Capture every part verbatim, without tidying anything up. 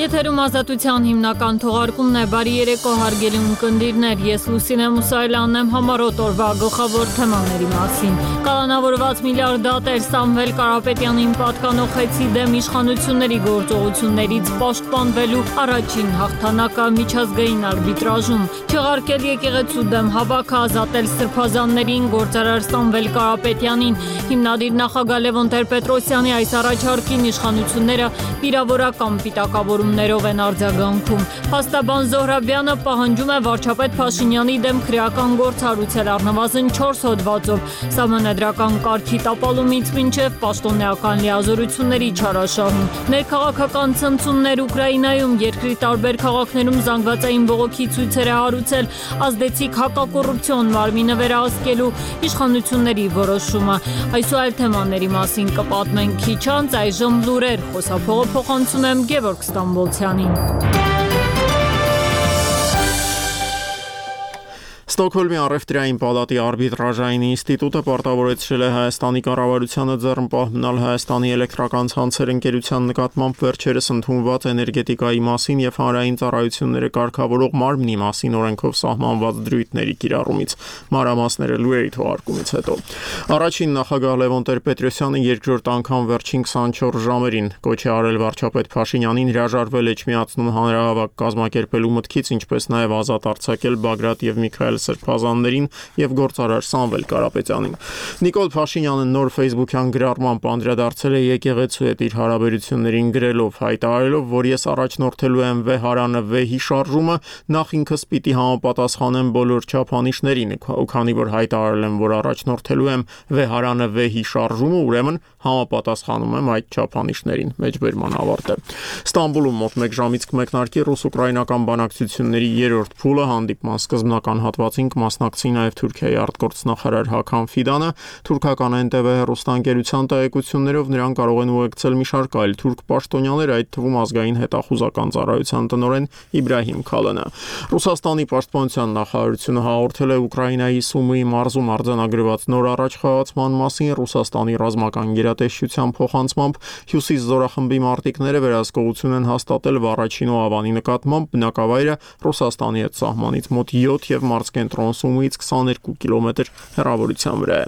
Եթերում ազատության հիմնական թողարկումն է, բարի երեկո հարգելի ունկնդիրներ, ես Լուսինե Մուսայելյանն եմ, համառոտ օրվա գլխավոր թեմաների մասին։ Կալանավորված միլիարդատեր Սամվել Կարապետյանին պատկանող խեցի դեմ իշխանությունների գործողություններից պաշտպանվելու առաջին հաղթանակը միջազգային արբիտրաժում, չեղարկել եկեղեցու դեմ հավաքը, ազատել սրբազաններին, գործարար Սամվել Կարապետյանին, հիմնադիր նախագահ Լևոն Տեր-Պետրոսյանի այս առաջարկին իշխանությունները վիրավորական պիտակավորումներով են արձագանքում։ Փաստաբան Զոհրաբյանը պահանջում է վարչապետ Փաշինյանի դեմ քրեական գործ հարուցել առնվազն չորս հոդվածով, սահմանադրական կարգի տապալումից մինչև պաշտոնեական լիազորությունների չարաշահում։ Ներքաղաքական ցնցումներ Ուկրաինայում, երկրի տարբեր քաղաքներում զանգվածային բողոքի ցույցեր է հարուցել ազդեցիկ հակակոռուպցիոն մարմինը վերահսկելու իշխանությունների որոշումը։ Այս ու այլ թեմաների մասին կպատմենք քիչ անց, այժմ լուրեր, խոսափողը փոխանցում եմ Գևորգ Ստամբոլցյանին։ Ստոկհոլմի առևտրային պալատի արբիտրաժային ինստիտուտը պարտավորեցրել է Հայաստանի կառավարությանը ձեռնպահ մնալ Հայաստանի էլեկտրական ցանցեր ընկերության նկատմամբ վերջերս ընդունված էներգետիկայի մասին եւ հանրային ծառայությունները կարգավորող մարմնի մասին օրենքով սահմանված դրույթների կիրառումից։ Մանրամասները լուրերի թողարկումից հետո։ Առաջին նախագահ Լևոն Տեր-Պետրոսյանը երկրորդ անգամ վերջին քսանչորս ժամերին կոչ է արել վարչապետ Փաշինյանին հրաժարվել Էջմիածնում հանրահավաք կազմակերպելու մտքից, ինչպես նաեւ ազատ արձակել Բագրատ եւ Միքայել սրբազաններին եւ գործարար Սամվել Կարապետյանին։ Նիկոլ Փաշինյանը նոր Facebook-յան գրառմամբ անդրադարձել է եկեղեցու հետ իր հարաբերություններին գրելով, հայտարարելով, որ ես առաջնորդելու եմ վեհարանը վեհի շարժումը, նախ ինքս պիտի համապատասխանեմ բոլոր չափանիշներին, ու քանի որ հայտարարել եմ, որ առաջնորդելու եմ վեհարանը վեհի շարժումը, ուրեմն համապատասխանում եմ այդ չափանիշներին։ Մեջբերման ավարտ է։ Ստամբուլում մոտ մեկ ժամից կմեկնարկի ռուս-ուկրաինական բանակցությունների երրորդ փուլը, հանդիպման սկզբնական հատվածին կմասնակցի նաև Թուրքիայի արտգործնախարար Հական Ֆիդանը, թուրքական Էն Տե Վի հեռուստաընկերության տեղեկություններով նրան կարող են ուղեկցել մի շարք այլ թուրք պաշտոնյաներ, այդ թվում ազգային հետախուզական ծառայության տնօրեն Իբրահիմ Քալանը։ Ռուսաստանի պաշտպանության նախարարությունը հաղորդել է Ուկրաինայի Սումիի մարզում արձանագրված նոր առաջխաղացման մասին։ Ռուսաստանի ռազմական գերատեսչության փոխանցմամբ Հյուսիս զորախմբի մարտիկները վերահսկողություն են հաստատել Վառաչինո Ավանի նկատմամբ, բնակավայրը Ռուսաստանի հետ սահմանից մոտ յոթ եւ մարզկենտրոն Սումիից քսաներկու կիլոմետր հեռավորության վրա է։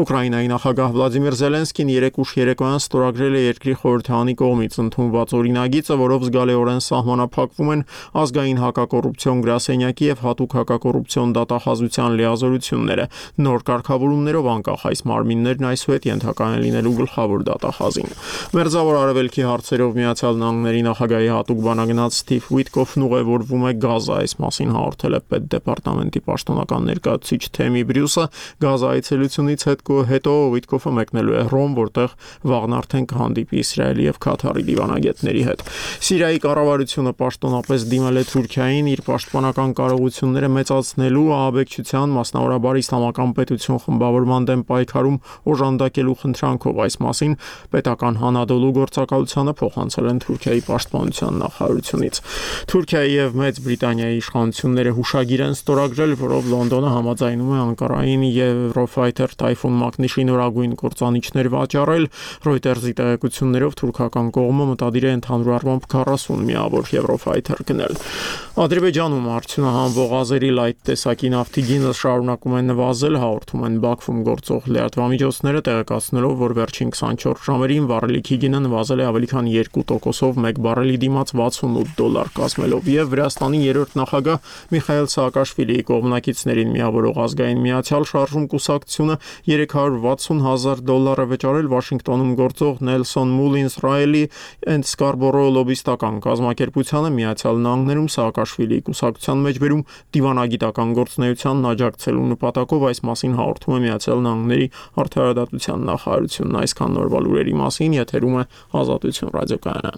Ուկրաինայի նախագահ Վլադիմիր Զելենսկին երեկ ուշ երեկոյան ստորագրել է երկրի խորհրդարանի կողմից ընդունված օրինագիծը, որով զգալիորեն սահմանափակվում են ազգային հակակոռուպցիոն գրասենյակի եւ հատուկ հակակոռուպցիոն դատախազության լիազորությունները։ Նոր կարգավորումներով անկախ այս մարմիններն այսուհետ ենթակա են լինելու գլխավոր դատախազին։ Մերձավոր Արևելքի հարցերով Միացյալ Նահանգների նախագահի հատուկ բանագնաց Սթիվ Ուիտկոֆն ուղևորվում է Գազա, այս մասին հաղորդել է պետդեպարտամենտի պաշտոնական ներկայացուցիչ Թեմի Բրյուսը։ Գազա այցելությունից հետո Ուիտկոֆը մեկնելու է Հռոմ, որտեղ վաղն արդեն կհանդիպի Իսրայելի եւ Քաթարի դիվանագետների հետ։ Սիրիայի կառավարությունը պաշտոնապես դիմել է Թուրքիային իր պաշտպանական կարողությունները մեծացնելու, ահաբեկչության, մասնավորաբար իսլամական պետություն խմբավորման դեմ պայքարում օժանդակելու խնդրանքով։ Այս մասին պետական Հանադոլու գործակալությանը փոխանցել են Թուրքիայի պաշտպանության նախարարությունից։ Թուրքիայի եւ Մեծ Բրիտանիայի իշխանությունները հուշագիր են ստորագրել, որով Լոնդոնը համաձայնում է Անկարային Eurofighter Typhoon մակնիշի նորագույն կործանիչներ վաճառել։ Reuters-ի տեղեկություններով թուրքական կողմը մտադիր է ընդհանուր առմամբ քառասուն միավոր Eurofighter գնել։ Ադրբեջանում արդյունահանվող ազերի լայթ տեսակի նավթի գինը շարունակում է նվազել, հաղորդում են Բաքվում գործող լրատվամիջոցները, տեղեկացնելով, որ վերջին քսանչորս ժամերին վառելիքի գինը նվազել է ավելի քան երկու տոկոսով մեկ բարելի դիմաց վաթսունութ դոլար կազմելով, եւ Վրաստանի երրորդ նախագահ Միխայել Սաակաշվիլիի կողմնակիցներին միավորող ազգային միացյալ շարժում կուսակցությունը երեք հարյուր վաթսուն հազար դոլար է վճարել Վաշինգտոնում գործող Nelson Mullins Riley and Scarborough լոբիստական կազմակերպությանը։ Միացյալ Նահանգներում Սաակաշվիլիի կուսակցության մեջբերում դիվանագիտական գործունեությանն աջակցելու նպատակով, այս մասին հաղորդում է Միացյալ Նահանգների արդարադատության նախարարությունն։ Այսքան նորվա լուրերի մասին, եթերում է Ազատություն ռադիոկայանը։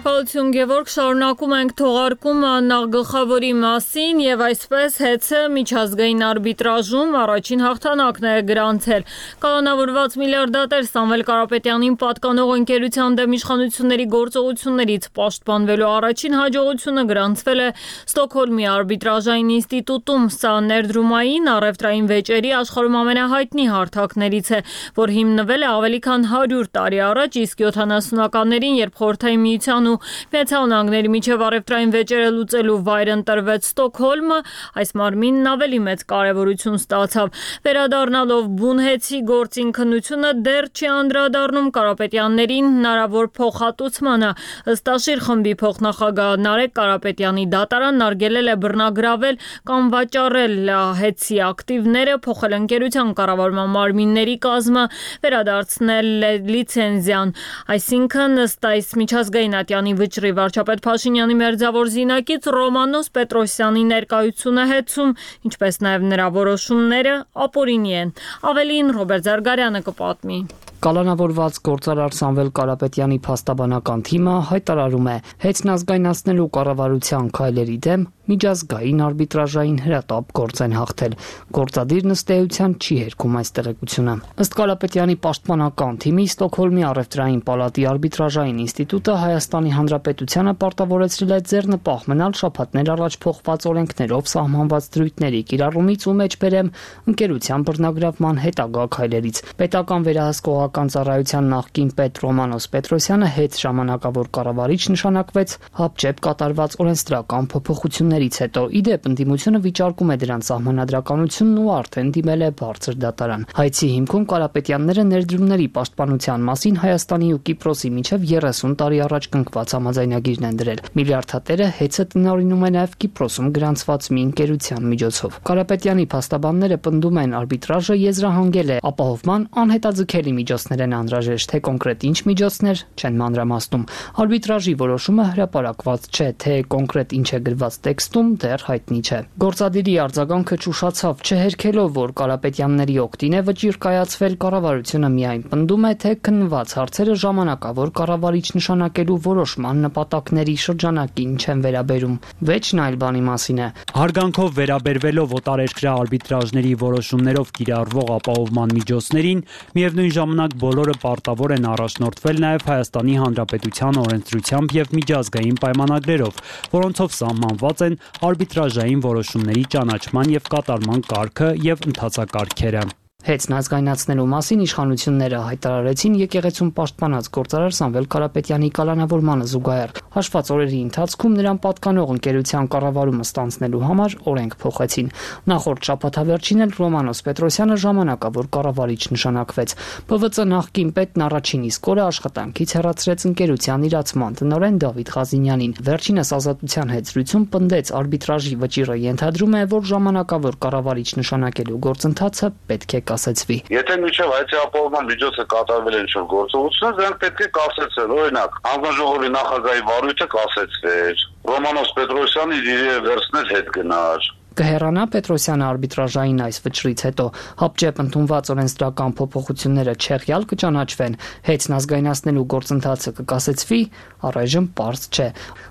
Շնորհակալություն Գևորգ, շարունակում ենք թողարկումը նախգլխավորի մասին եւ այսպես ՀԵՑ-ը միջազգային արբիտրաժում առաջին հաղթանակն է գրանցել։ Կալանավորված միլիարդատեր Սամվել Կարապետյանին պատկանող ընկերության դեմ իշխանությունների գործողություններից պաշտպանվելու առաջին հաջողությունը գրանցվել է Ստոկհոլմի արբիտրաժային ինստիտուտում։ Սա ներդրումային առևտրային վեճերի աշխարհում ամենահայտնի հարթակներից է, որ հիմնվել է ավելի քան հարյուր տարի առաջ, իսկ յոթանասունականներին, երբ Խորհրդային Միության ու Միացյալ Նահանգների միջև առևտրային վեճերը լուծելու վայր ընտրվեց Ստոկհոլմը, այս մարմինն ավելի մեծ կարևորություն ստացավ։ Վերադառնալով բունհեցի գործին քննությունը դեռ չի անդրադառնում Կարապետյաններին հնարավոր փոխհատուցմանը։ Ըստ Աշիր խմբի փոխնախագահ Նարեկ Կարապետյանի դատարանն արգելել է բռնագրավել կամ վաճառել ՀԵՑ-ի ակտիվները, փոխել ընկերության կառավարման մարմինների կազմը, վերադարձնել լիցենզիան։ Այսինքն, ըստ այս միջազգային ատյանի վճռի վարչապետ Փաշինյանի մերձավոր զինակից Ռոմանոս Պետրոսյանի ներկայությունը ՀԵՑ-ում, ինչպես նաև նրա որոշումները ապօրինի են։ Ավելին Ռոբերտ Զարգարյանը կպատմի։ Կալանավորված գործարար Սամվել Կարապետյանի փաստաբանական թիմը հայտարարում է ՀԵՑ-ն ազգայնացնելու կառավարության քայլերի դեմ միջազգային արբիտրաժային հրատապ գործ են հաղթել։ Գործադիրն ըստ էության չի հերքում այս տեղեկությունը։ Ըստ Կարապետյանի պաշտպանական թիմի Ստոկհոլմի առևտրային պալատի արբիտրաժային ինստիտուտը Հայաստանի Հանրապետությանը պարտավորեցրել է ձեռնպահ մնալ շաբաթներ առաջ փոխված օրենքներով սահմանված դրույթների կիրառումից ու մեջբերեմ ընկերության բռնագրավման հետագա քայլերից։ Պետական վերահսկողական ծառայության նախկին պետ Ռոմանոս Պետրոսյանը ՀԵՑ ժամանակավոր կառավարիչ նշանակվեց հապճեպ կատարված օրենսդրական փոփոխություններից հետո։ Իդեպ ընդդիմությունը վիճարկում է դրանց սահմանադրականությունն ու արդեն դիմել է բարձր դատարան։ Հայցի հիմքում Կարապետյանները ներդրումների պաշտպանության մասին Հայաստանի ու Կիպրոսի միջև երեսուն տարի առաջ կնքված համաձայնագիրն են դրել։ Միլիարդատերը ՀԵՑ-ը տնօրինում է նաև Կիպրոսում գրանցված մի ընկերության միջոցով։ Կարապետյանի փաստաբանները պնդում են արբիտրաժը եզրահանգել է ապահովման անհետաձգելի միջոցներ են անհրաժեշտ, թե կոնկրետ ինչ միջոցներ չեն մանրամասնում։ Արբիտրաժի որոշումը հրապարակված չէ, թե կոնկրետ ինչ է գրված տեքստում դեռ հայտնի չէ։ Գործադիրի արձագանքը ճուշացավ, չհերքելով, որ Կարապետյանների օգտին է վճիռ կայացվել, կառավարությունը միայն պնդում է, թե քննված հարցերը ժամանակավոր կառավարիչ նշանակելու որոշման նպատակների շրջանակին չեն վերաբերում։ Վեճն այլ բանի մասին է։ Հարգանքով վերաբերվելով օտարերկրյա արբիտրաժների որոշումներով կիրառվող ապահովման միջոցներին, միևնույն ժամանակ բոլորը պարտավոր են առաջնորդվել նաև Հայաստանի Հանրապետության օրենսդրությամբ եւ միջազգային պայմանագրերով, որոնցով սահմանված են արբիտրաժային որոշումների ճանաչման եւ կատարման կարգը եւ ընթացակարգերը։ ՀԵՑ-ն ազգայնացնելու մասին իշխանությունները հայտարարեցին եկեղեցում պաշտպանած գործարար Սամվել Կարապետյանի կալանավորմանը զուգահեռ։ Հաշված օրերի ընթացքում նրան պատկանող ընկերության կառավարումը ստանձնելու համար օրենք փոխեցին։ Նախորդ շաբաթավերջին էլ Ռոմանոս Պետրոսյանը ժամանակավոր կառավարիչ նշանակվեց։ ՊՎԾ նախկին պետն առաջին իսկ օրը աշխատանքից հեռացրեց ընկերության իրացման տնօրեն Դավիթ Ղազինյանին։ Վերջինս ազատության հետ զրույցում պնդեց արբիտրաժի վճիռը ենթադրում է, որ ժամանակավոր կառավարիչ նշանակելու գործընթացը պետք է կասեցվի։ Եթե միջև հայցի ապահովման միջոցը կատարվել է ինչ-որ գործողություններ, դրանք պետք է կասեցվեն։ Օրինակ, հանձնաժողովի նախագահի վարույթը կասեցվեր, Ռոմանոս Պետրոսյանը իր վերցնել հետ գնար։ Կհեռանա Պետրոսյանը արբիտրաժային այս վճռից հետո հապճեպ ընդունված օրենսդրական փոփոխությունները չեղյալ կճանաչվեն, ՀԵՑ-ն ազգայնացնելու գործընթացը կկասեցվի, առայժմ պարզ չէ։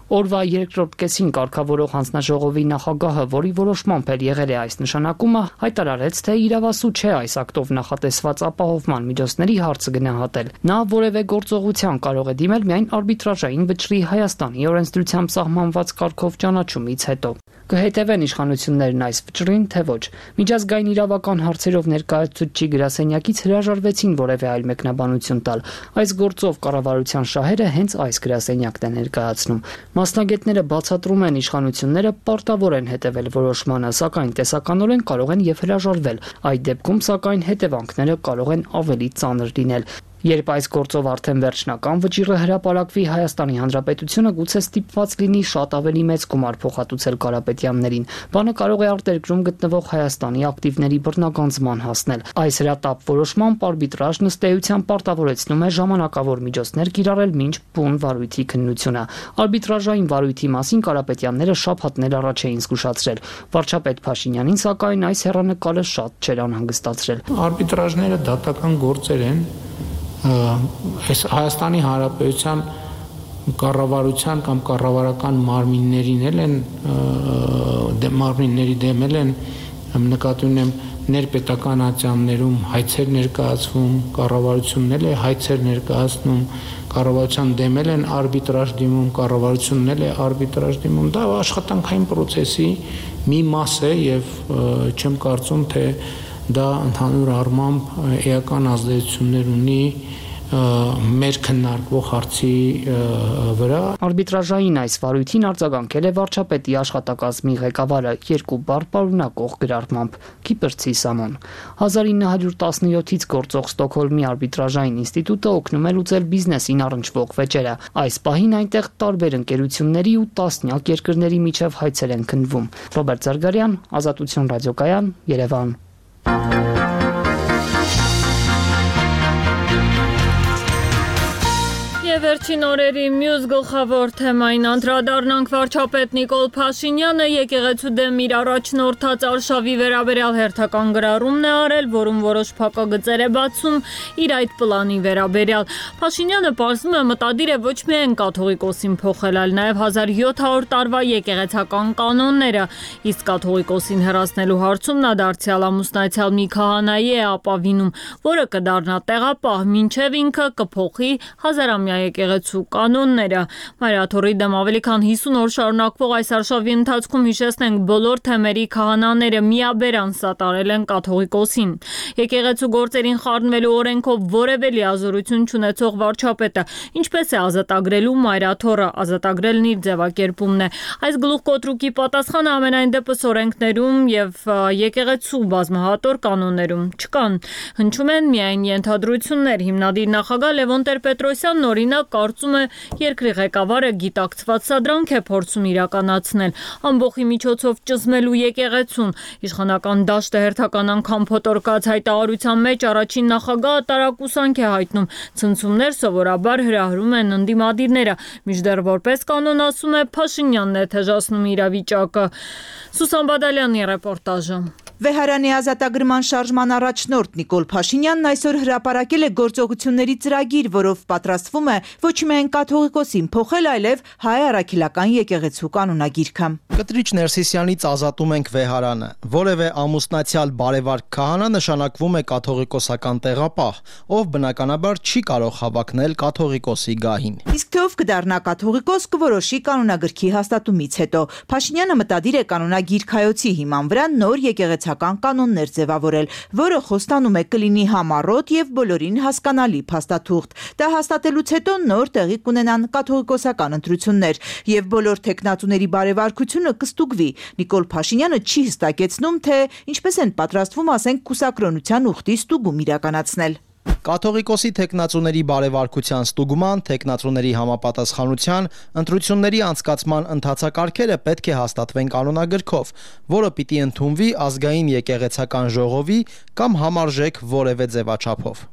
Օրվա երկրորդ կեսին կարգավորող հանձնաժողովի նախագահը, որի որոշմամբ էլ եղել է այս նշանակումը, հայտարարեց, թե իրավասու չէ այս ակտով նախատեսված ապահովման միջոցների հարցը գնահատել։ Նա որևէ գործողության կարող է դիմել միայն արբիտրաժային վճռի Հայաստանի օրենսդրությամբ սահմանված կարգով ճանաչումից հետո։ Կհետևեն իշխանություններն այս վճռին, թե ոչ։ Միջազգային իրավական հարցերով ներկայացուցիչի գրասենյակից հրաժարվեցին որևէ այլ մեկնաբանություն տալ։ Այս գործով կառավարության շահերը հենց այս գրասենյակն է ներկայացնում։ Մասնագետները բացատրում են, իշխանությունները պարտավոր են հետևել որոշմանը, սակայն տեսականորեն կարող են եւ հրաժարվել։ Այդ դեպքում, սակայն, հետևանքները կարող են ավելի ծանր լինել։ Երբ այս գործով արդեն վերջնական վճիռը հրապարակվի, Հայաստանի Հանրապետությունը գուցե ստիպված լինի շատ ավելի մեծ գումար փոխհատուցել Կարապետյաններին։ Բանը կարող է արտերկրում գտնվող Հայաստանի ակտիվների բռնագանձման հասնել։ Այս հրատապ որոշմամբ արբիտրաժն ըստ էության պարտավորեցնում է ժամանակավոր միջոցներ կիրառել մինչ բուն վարույթի քննությունը։ Արբիտրաժային վարույթի մասին Կարապետյանները շաբաթներ առաջ էին զգուշացրել։ Վարչապետ Փաշինյանին, սակայն, այս հեռանկարը շատ չէր անհանգստացրել։ Արբիտրաժները դատական գործեր են։ Այս Հայաստանի Հանրապետության կառավարության կամ կառավարական մարմիններին էլ են մարմինների դեմ են նկատի ունեմ ներպետական ատյաններում հայցեր ներկայացվում, կառավարությունն էլ է հայցեր ներկայացնում, կառավարության դեմ են արբիտրաժ դիմում, կառավարությունն էլ է արբիտրաժ դիմում, դա աշխատանքային process-ի մի մաս է եւ չեմ կարծում թե դա ընդհանուր առմամբ էական ազդեցություններ ունի մեր քննարկվող հարցի վրա։ Արբիտրաժային այս վարույթին արձագանքել է վարչապետի աշխատակազմի ղեկավարը երկու բառ պարունակող գրառմամբ՝ Կիպրցի Սամոն։ հազար ինը հարյուր տասնյոթից գործող Ստոկհոլմի արբիտրաժային ինստիտուտը օգնում է լուծել բիզնեսին առնչվող վեճերը։ Այս պահին այնտեղ տարբեր ընկերությունների ու տասնյակ երկրների միջև հայցեր են քննվում։ Ռոբերտ Զարգարյան, Ազատություն ռադիոկայան, Երևան։ Վերջին օրերի մյուս գլխավոր թեմային անդրադառնանք վարչապետ Նիկոլ Փաշինյանը եկեղեցու դեմ իր առաջնորդած արշավի վերաբերյալ հերթական գրառումն է արել, որում որոշ փակագծեր է բացում իր այդ պլանի վերաբերյալ։ Փաշինյանը պարզվում է մտադիր է ոչ միայն կաթողիկոսին փոխել, այլ նաև հազար յոթ հարյուր տարվա եկեղեցական կանոնները, իսկ կաթողիկոսին հեռացնելու հարցում նա դարձյալ ամուսնացյալ մի քահանայի է ապավինում, որը կդառնա տեղապահ, մինչև ինքը կփոխի հազարամյա եկեղեցու կանոնները։ Մայրաթորի դեմ ավելի քան հիսուն օր շարունակվող այս արշավի ընթացքում հիշեցնենք բոլոր թեմերի քահանաները միաբերան սատարել են կաթողիկոսին։ Եկեղեցու գործերին խառնվելու օրենքով որևէ լիազորություն չունեցող վարչապետը ինչպես է ազատագրելու Մայրաթորը, ազատագրելն իր ձևակերպումն է։ Այս գլուխկոտրուկի պատասխանը ամենայն դեպս օրենքներում եւ եկեղեցու բազմահատոր կանոններում չկան։ Հնչում են միայն ենթադրություններ։ Հիմնադիր նախագահ Լևոն Տեր-Պետրոսյանն օրինակ կարծում է երկրի ղեկավարը գիտակցված սադրանք է փորձում իրականացնել ամբողջի միջոցով ճզմելու եկեղեցուն։ Իշխանական դաշտը հերթական անգամ փոթորկած հայտարարության մեջ առաջին նախագահը տարակուսանք է հայտնում։ Ցնցումներ սովորաբար հրահրում են ընդդիմադիրները, մինչդեռ որպես կանոն ասում է Փաշինյանն է թեժացնում իրավիճակը։ Սուսան Բադալյանի ռեպորտաժը։ Վեհարանի ազատագրման շարժման առաջնորդ Նիկոլ Փաշինյանն այսօր հրապարակել է գործողությունների ծրագիր, որով պատրաստվում է ոչ միայն կաթողիկոսին փոխել, այլև հայ առաքելական եկեղեցու կանոնագիրքը։ Կտրիչ Ներսիսյանից ազատում ենք Վեհարանը։ Որևէ ամուսնացյալ բարևարք քահանա նշանակվում է կաթողիկոսական տեղապահ, ով բնականաբար չի կարող հավակնել կաթողիկոսի գահին։ Իսկ թե ով կդառնա կաթողիկոս կորոշի կանոնագրքի հաստատումից հետո։ Փաշինյանը մտադիր է կանոնագիրքայոցի հիման վրա նոր եկեղեցական կանոններ ձևավորել, որը խոստանում է կլինի համառոտ եւ բոլորին հասկանալի փաստաթուղթ։ Դա հաստատելուց հետո նոր տեղի կունենան կաթողիկոսական ընտրություններ եւ բոլոր թեկնածուների բարեվարկությունը կստուգվի։ Նիկոլ Փաշինյանը չի հստակեցնում, թե ինչպես են պատրաստվում, ասենք, կուսակրոնության ուխտի ստուգում իրականացնել։ Կաթողիկոսի թեկնածուների բարեվարկության ստուգման, թեկնածուների համապատասխանության, ընտրությունների անցկացման ընթացակարգերը պետք է հաստատվեն կանոնագրքով, որը պիտի ընդունվի ազգային եկեղեցական ժողովի կամ համարժեք որևէ ձևաչափով։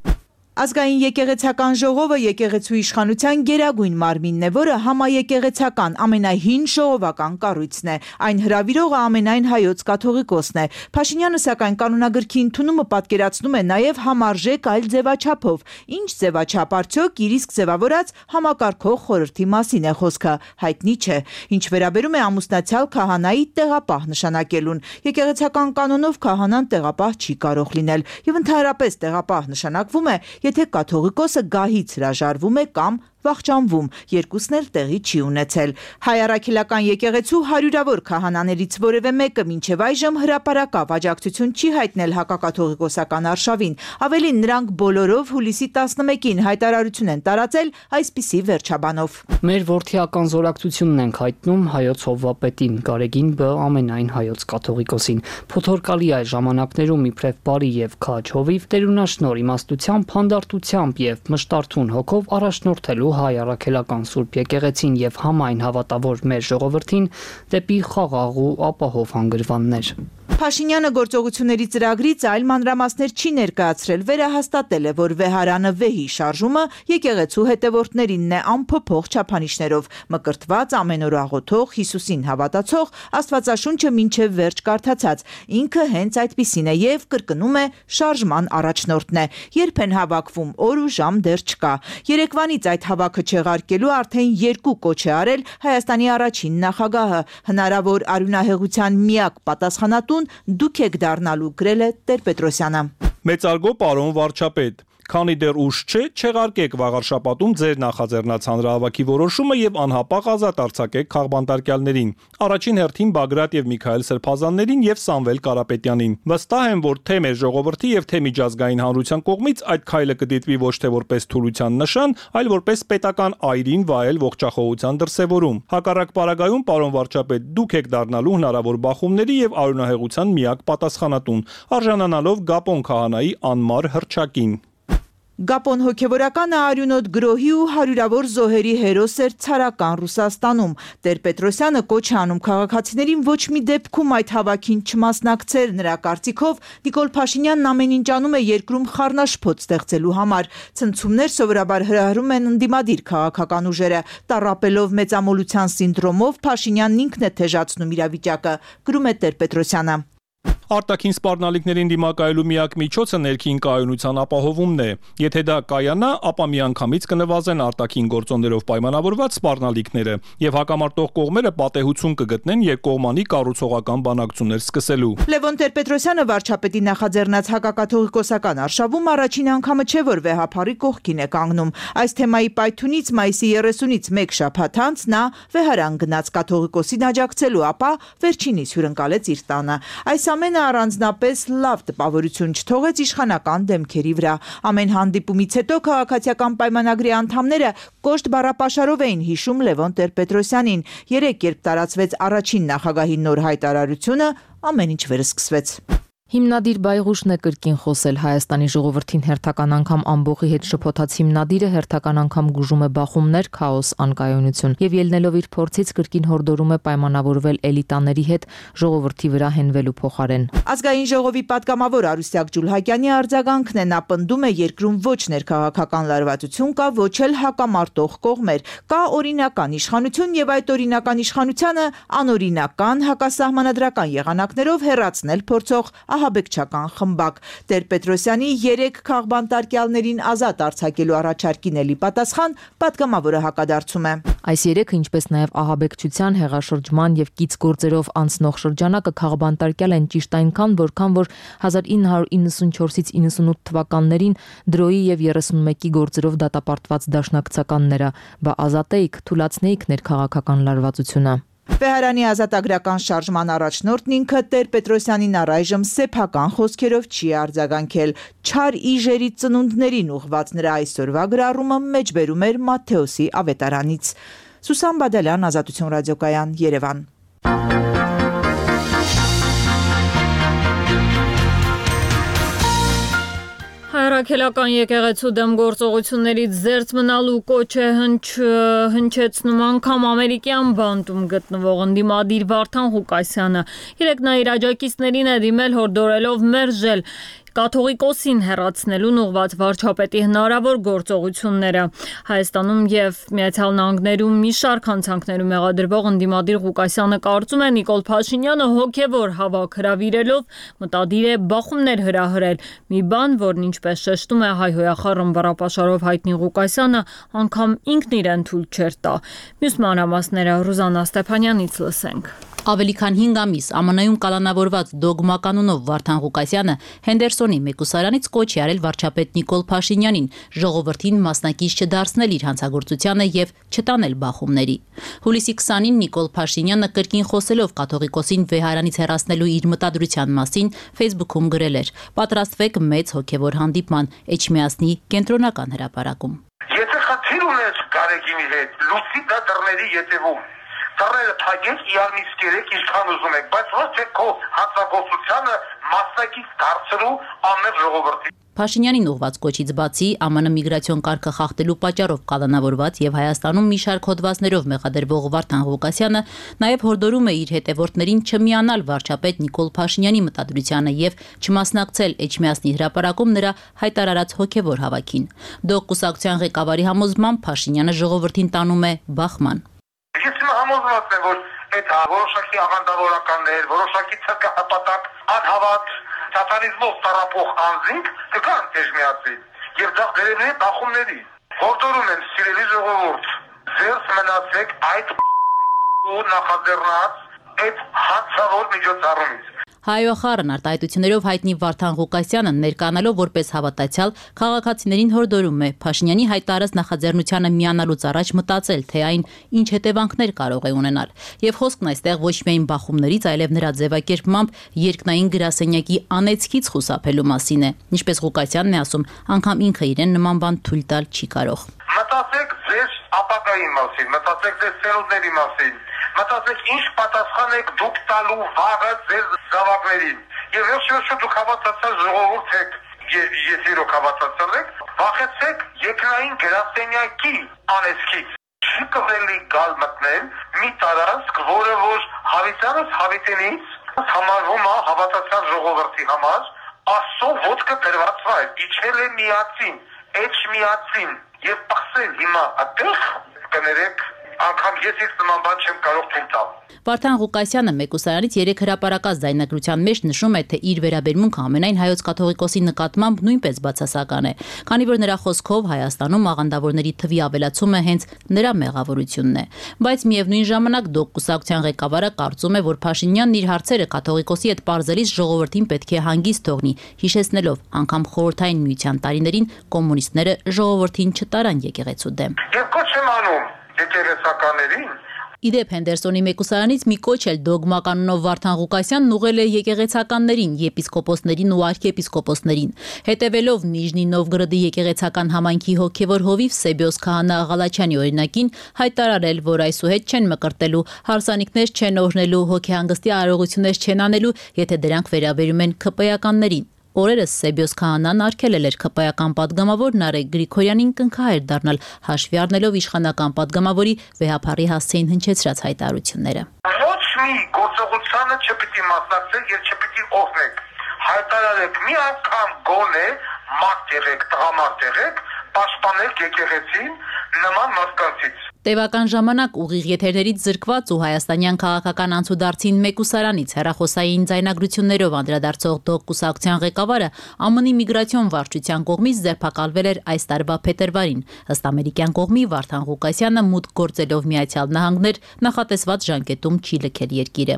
Ազգային եկեղեցական ժողովը եկեղեցու իշխանության գերագույն մարմինն է, որը համաեկեղեցական ամենահին ժողովական կառույցն է։ Այն հրավիրողը ամենայն հայոց կաթողիկոսն է։ Փաշինյանը սակայն կանոնագրքի ընդունումը պատկերացնում է նաև համարժեք այլ ձևաչափով։ Ինչ ձևաչափ արդյոք իր իսկ ձևավորած համակարգող խորհրդի մասին է խոսքը, հայտնի չէ։ Ինչ վերաբերում է ամուսնացյալ քահանայի տեղապահ նշանակելուն, եկեղեցական կանոնով քահանան տեղապահ չի կարող լինել, եւ ընդհանրապես տեղապահ նշանակվում է, եթե կաթողիկոսը գահից հրաժարվում է կամ վախճանվում, երկուսն էլ տեղի չի ունեցել։ Հայ առաքելական եկեղեցու հարյուրավոր քահանաներից որևէ մեկը մինչև այժմ հրապարակավ աջակցություն չի հայտնել հակակաթողիկոսական արշավին։ Ավելին, նրանք բոլորով հուլիսի տասնմեկին հայտարարություն են տարածել այսպիսի վերջաբանով։ Մեր որդիական զորակցությունն ենք հայտնում հայոց հովվապետին, Գարեգին Բ. ամենայն հայոց կաթողիկոսին։ Փոթորկալի այս ժամանակներում իբրև բարի եւ քաջ հովիվ տերունաշնոր իմաստությամբ, հանդարտությամբ եւ մշտարթուն հոգով առաջնորդելու հայ առաքելական Սուրբ եկեղեցին եւ համայն հավատավոր մեր ժողովրդին դեպի խաղաղ ու ապահով հանգրվաններ։ Փաշինյանը գործողությունների ծրագրից այլ մանրամասներ չի ներկայացրել, վերահաստատել է, որ վեհարանը վեհի շարժումը եկեղեցու հետևորդներինն է անփոփոխ չափանիշներով, մկրտված, ամենօր աղոթող, Հիսուսին հավատացող, Աստվածաշունչը մինչև վերջ կարդացած, ինքը հենց այդպիսին է եւ կրկնում է շարժման առաջնորդն է, երբ են հավաքվում, օր ու ժամ դեռ չկա։ Երեկվանից այդ հավաքը չեղարկելու արդեն երկու կոչ է արել Հայաստանի առաջին նախագահը, հնարավոր արյունահեղության միակ պատասխանատուն դուք եք դառնալու, գրել է Տեր-Պետրոսյանը։ Մեծարգո պարոն վարչապետ, քանի դեռ ուշ չէ, չեղարկեք վաղար շաբաթում ձեր նախաձեռնած հանրահավաքի որոշումը եւ անհապաղ ազատ արձակեք քաղբանտարկյալներին, առաջին հերթին Բագրատ եւ Միքայել Սրբազաններին եւ Սամվել Կարապետյանին։ Վստահ եմ, որ թե մեր ժողովրդի եւ թե միջազգային հանրության կողմից այդ քայլը կդիտվի ոչ թե որպես թուլության նշան, այլ որպես պետական այրին վայել ողջախոհության դրսեւորում։ Հակառակ պարագայում, պարոն վարչապետ, դուք եք դառնալու հնարավոր բախումների եւ արյունահեղության միակ պատասխանատուն, արժանանալով Գապոն քահանայի անմար հռչակին։ Գապոն հոգևորականը արյունոտ գրոհի ու հարյուրավոր զոհերի հերոս էր ցարական Ռուսաստանում։ Տեր-Պետրոսյանը կոչ է անում քաղաքացիներին ոչ մի դեպքում այդ հավաքին չմասնակցել։ Նրա կարծիքով Նիկոլ Փաշինյանն ամեն ինչ անում է երկրում խառնաշփոթ ստեղծելու համար։ Ցնցումներ սովորաբար հրահրում են ընդդիմադիր քաղաքական ուժերը։ Տառապելով մեծամոլության սինդրոմով Փաշինյանն ինքն է թեժացնում իրավիճակը, գրում է Տեր-Պետրոսյանը։ Արտաքին սպառնալիքներին դիմակայելու միակ միջոցը ներքին կայունության ապահովումն է։ Եթե դա կայանա, ապա միանգամից կնվազեն արտաքին գործոններով պայմանավորված սպառնալիքները եւ հակամարտող կողմերը պատեհություն կգտնեն երկկողմանի կառուցողական բանակցություններ սկսելու։ Լևոն Տեր-Պետրոսյանը վարչապետի նախաձեռնած հակակաթողիկոսական արշավում առաջին անգամը չէ, որ վեհափառի կողքին է կանգնում։ Այս թեմայի պայթունից մայիսի երեսունից մեկ շաբաթ անց նա վեհարան գնաց կաթողիկոսին աջակցելու, ապա վերջինիս հյուրընկալեց իր տանը։ Այս ամենը առանձնապես լավ տպավորություն չթողեց իշխանական դեմքերի վրա։ Ամեն հանդիպումից հետո քաղաքացիական պայմանագրի անդամները կոշտ բառապաշարով էին հիշում Լևոն Տեր-Պետրոսյանին։ Երեկ, երբ տարածվեց առաջին նախագահի նոր հայտարարությունը, ամեն ինչ վերսկսվեց։ Հիմնադիր Բայղուշն է կրկին խոսել Հայաստանի ժողովրդին հերթական անգամ ամբողի հետ շփոթած հիմնադիրը հերթական անգամ գուժում է բախումներ, քաոս, անկայունություն եւ ելնելով իր փորձից կրկին հորդորում է պայմանավորվել էլիտաների հետ ժողովրդի վրա հենվելու փոխարեն։ Ազգային ժողովի պատգամավոր Արուսյակ Ջուլհակյանի արձագանքն է, նա պնդում է երկրում ոչ ներքաղաքական լարվածություն կա, ոչ էլ հակամարտող կողմեր, կա օրինական իշխանություն եւ այդ օրինական իշխանությանը անօրինական հակասահմանադրական եղանակներով հեռացնել փորձող ահաբեկչական խմբակ։ Տեր-Պետրոսյանի երեք քաղբանտարկյալներին ազատ արձակելու առաջարկին էլի պատասխան պատգամավորը հակադարձում է։ Այս երեքը, ինչպես նաև ահաբեկչության, հեղաշրջման եւ կից գործերով անցնող շրջանակը քաղբանտարկյալ են ճիշտ այնքան, որքան որ հազար ինը հարյուր իննսունչորսից իննսունութ թվականներին դրոյի եւ երեսունմեկի գործերով դատապարտված դաշնակցականները, բա ազատեիք, թուլացնեիք ներքաղաքական լարվածությունը։ Վեհարանի ազատագրական շարժման առաջնորդն ինքը Տեր-Պետրոսյանին առայժմ սեփական խոսքերով չի արձագանքել։ Չար իժերի ծնունդներին ուղված նրա այսօրվա գրառումը մեջբերում էր Մատթեոսի ավետարանից։ Սուսան Բադալյան, Ազատություն ռադիոկայան, Երևան։ Հայրաքելական եկեղեցու դեմ գործողություններից զերծ մնալու կոչ է հնչեցնում անգամ ամերիկյան բանտում գտնվող ընդդիմադիր Վարդան Ղուկասյանը։ Երեկ նա իր աջակիցներին է դիմել հորդորելով մերժել կաթողիկոսին հեռացնելուն ուղված վարչապետի հնարավոր գործողությունները։ Հայաստանում եւ Միացյալ Նահանգներում մի շարք հանցանքներում մեղադրվող ընդդիմադիր Ղուկասյանը կարծում է Նիկոլ Փաշինյանը հոգեվոր հավաք հրավիրելով մտադիր է բախումներ հրահրել։ Մի բան, որն ինչպես շեշտում է հայհոյախառն բառապաշարով հայտնի Ղուկասյանը, անգամ ինքն իրեն թույլ չէր տա։ Մյուս մանրամասները Ռուզաննա Ստեփանյանից լսենք։ Ավելի քան հինգ ամիս ԱՄՆ-ում կալանավորված դոգմա կանոնով Վարդան Ղուկասյանը Հենդերսոնի մեկուսարանից կոչ է արել վարչապետ Նիկոլ Փաշինյանին ժողովրդին մասնակից չդարձնել իր հանցագործությանը եւ չտանել բախումների։ Հուլիսի քսանին Նիկոլ Փաշինյանը կրկին խոսելով կաթողիկոսին վեհարանից հեռացնելու իր մտադրության մասին Facebook-ում գրել էր. «Պատրաստվեք մեծ հոգեվոր հանդիպման Էջմիածնի կենտրոնական հրապարակում»։ Եթե խնդիր ունես Գարեգինի հետ, լուսի դա դռների ետևում Դռները թագեք, իարմից կերեք, ինչքան ուզում եք, բայց ոչ թե քո հանցագործությանը մասնակից դարձրու անմեղ ժողովրդի։ Փաշինյանին ուղված կոչից բացի Է Մ Ն միգրացիոն կարգը խախտելու պատճառով կալանավորված եւ Հայաստանում մի շարք հոդվածներով մեղադրվող Վարդան Ղուկասյանը նաեւ հորդորում է իր հետևորդներին չմիանալ վարչապետ Նիկոլ Փաշինյանի մտադրությանը եւ չմասնակցել Էջմիածնի հրապարակում նրա հայտարարած հոգեվոր հավաքին։ Դոկ կուսակցության ղեկավարի համոզմամբ Փաշինյանը ժողովրդին տանում է բախման։ Ես համոզված եմ, որ այդ որոշակի աղանդավորականներ, որոշակի ցկահպատակ, անհավատ, սատանիզմով տարապող անձինք կգան Էջմիածին եւ դա վերևի բախումների։ Հորդորում եմ սիրելի ժողովուրդ, ձերս մնացեք այդ ու նախաձեռնած այդ հացավոր միջոցառումից։ Հայոախառն արտահայտություններով հայտնի Վարդան Ղուկասյանը ներկայանալով որպես հավատացյալ քաղաքացիներին հորդորում է Փաշինյանի հայտարարած նախաձեռնությանը միանալուց առաջ մտածել, թե այն ինչ հետևանքներ կարող է ունենալ։ Եվ խոսքն այստեղ ոչ միայն բախումներից, այլև նրա ձևակերպմամբ երկնային գրասենյակի անեծքից խուսափելու մասին է։ Ինչպես Ղուկասյանն է ասում, անգամ ինքը իրեն նման բան թույլ տալ չի կարող։ Մտածեք ձեր ապագայի մասին, մտածեք ձեր ծերունների մասին, մտածեք ինչ պատասխան եք դուք տալու վաղը ձեր զավակներին։ Եվ վերջերս դուք հավատացած ժողովուրդ եք, եթե իրոք հավատացած եք, վախեցեք երկնային գրասենյակի անեծքից։ Չի կողելի գալ մտնել մի տարածք, որը որ հավիտյանս հավիտենից համարվում է հավատացած ժողովրդի համար, Աստծո ոտքը դրված վայր, իջել է միածին, էջ միածին եւ պղծել հիմա այդտեղ կներեք անգամ ես ես նման բան չեմ կարող թույլ տալ։ Վարդան Ղուկասյանը մեկուսարանից երեք հրապարակած ձայնագրության մեջ նշում է, թե իր վերաբերմունքը ամենայն հայոց կաթողիկոսի նկատմամբ նույնպես բացասական է, քանի որ նրա խոսքով Հայաստանում աղանդավորների թվի ավելացումը հենց նրա մեղավորությունն է։ Բայց միևնույն ժամանակ Դոկ կուսակցության ղեկավարը կարծում է, որ Փաշինյանն իր հարցերը կաթողիկոսի հետ պարզելիս ժողովրդին պետք է հանգիստ թողնի, հիշեցնելով անգամ խորհրդային միության տարիներին կոմունիստները ժողովրդին չտարան եկեղեցու դեմ։ Եվ կոչ եմ անում եկեղեցականներին Իդեպ Հենդերսոնի մեկուսարանից մի կոչ էլ դոգմականունով Վարդան Ղուկասյանն ուղղել է եկեղեցականներին, եպիսկոպոսներին ու արքեպիսկոպոսներին։ Հետևելով Նիժնի Նովգորոդի եկեղեցական համայնքի հոգևոր հովիվ Սեբիոս Քահանա Աղալաչյանի օրինակին հայտարարել, որ այսուհետ չեն մկրտելու, հարսանիքներ չեն օրհնելու, հոգեհանգստի արարողություններ չեն անելու, եթե դրանք վերաբերում են ՔՊ-ականներին։ Օրերս Սեբիոս Քահանան արգելել էր ՔՊ-ական падգամավոր Նարեկ Գրիգորյանին կնքահայր դառնալ, հաշվի առնելով իշխանական падգամավորի վեհափառի հասցեին հնչեցրած հայտարարությունները։ Ոչ մի գործողությանը չպիտի մասնակցեք եւ չպիտի օգնեք։ Հայտարարեք մի անգամ գոնե մարդ եղեք, տղամարդ եղեք, պաշտպանեք եկեղեցին նման մարդկանցից։ Տևական ժամանակ ուղիղ եթերներից զրկված ու հայաստանյան քաղաքական անցուդարձին մեկուսարանից հեռախոսային ձայնագրություններով անդրադարձող Դոկ կուսակցության ղեկավարը Է Մ Ն-ի միգրացիոն վարչության կողմից ձերբակալվել էր այս տարվա փետրվարին։ Ըստ ամերիկյան կողմի Վարդան Ղուկասյանը մուտք գործելով Միացյալ Նահանգներ նախատեսված ժանկետում չի լքել երկիրը։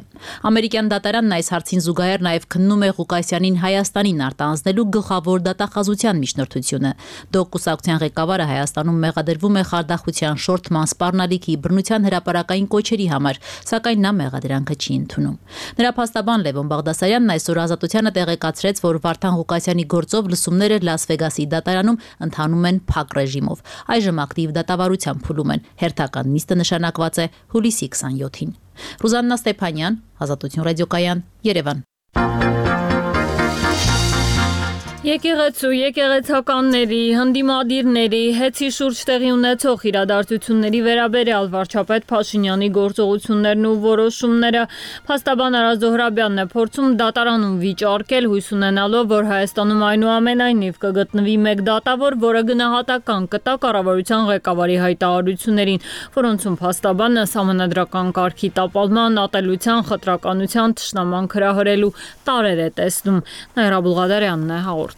Ամերիկյան դատարանն այս հարցին զուգահեռ նաև քննում է Ղուկասյանին Հայաստանին արտահանձնելու գլխավոր դատախազության միջնորդությունը։ Դոկ կուսակցության ղեկավարը Հայաստանում մեղադրվում է խարդախության շորթման սպառնալիքի բռնության հրապարակային կոչերի համար, սակայն նա մեղադրանքը չի ընդունում։ Նրա փաստաբան Լևոն Բաղդասարյանն այսօր Ազատությանը տեղեկացրեց, որ Վարդան Ղուկասյանի գործով լսումները Լաս Վեգասի դատարանում ընթանում են փակ ռեժիմով։ Այժմ ակտիվ դատավարության փուլում են։ Հերթական նիստը նշանակված է հուլիսի քսանյոթին։ Ռուզաննա Ստեփանյան, Ազատություն ռադիոկայան, Երևան։ Եկեղեցու, եկեղեցականների, հնդիմադիրների, հեծի շուրջ տեղի ունեցող իրադարձությունների վերաբերյալ վարչապետ Փաշինյանի գործողություններն ու որոշումները փաստաբան Արա Զոհրաբյանն է փորձում դատարանում վիճարկել, հույս ունենալով, որ Հայաստանում այնուամենայնիվ կգտնվի մեկ դատավոր, որը գնահատական կտա կառավարության ղեկավարի հայտարարություններին, որոնցում փաստաբանը սահմանադրական կարգի տապալման, ատելության, խտրականության, թշնամանք հրահրելու տարեր է տեսնում։ Նաիրա Բուլղադարյանն է հաղորդում։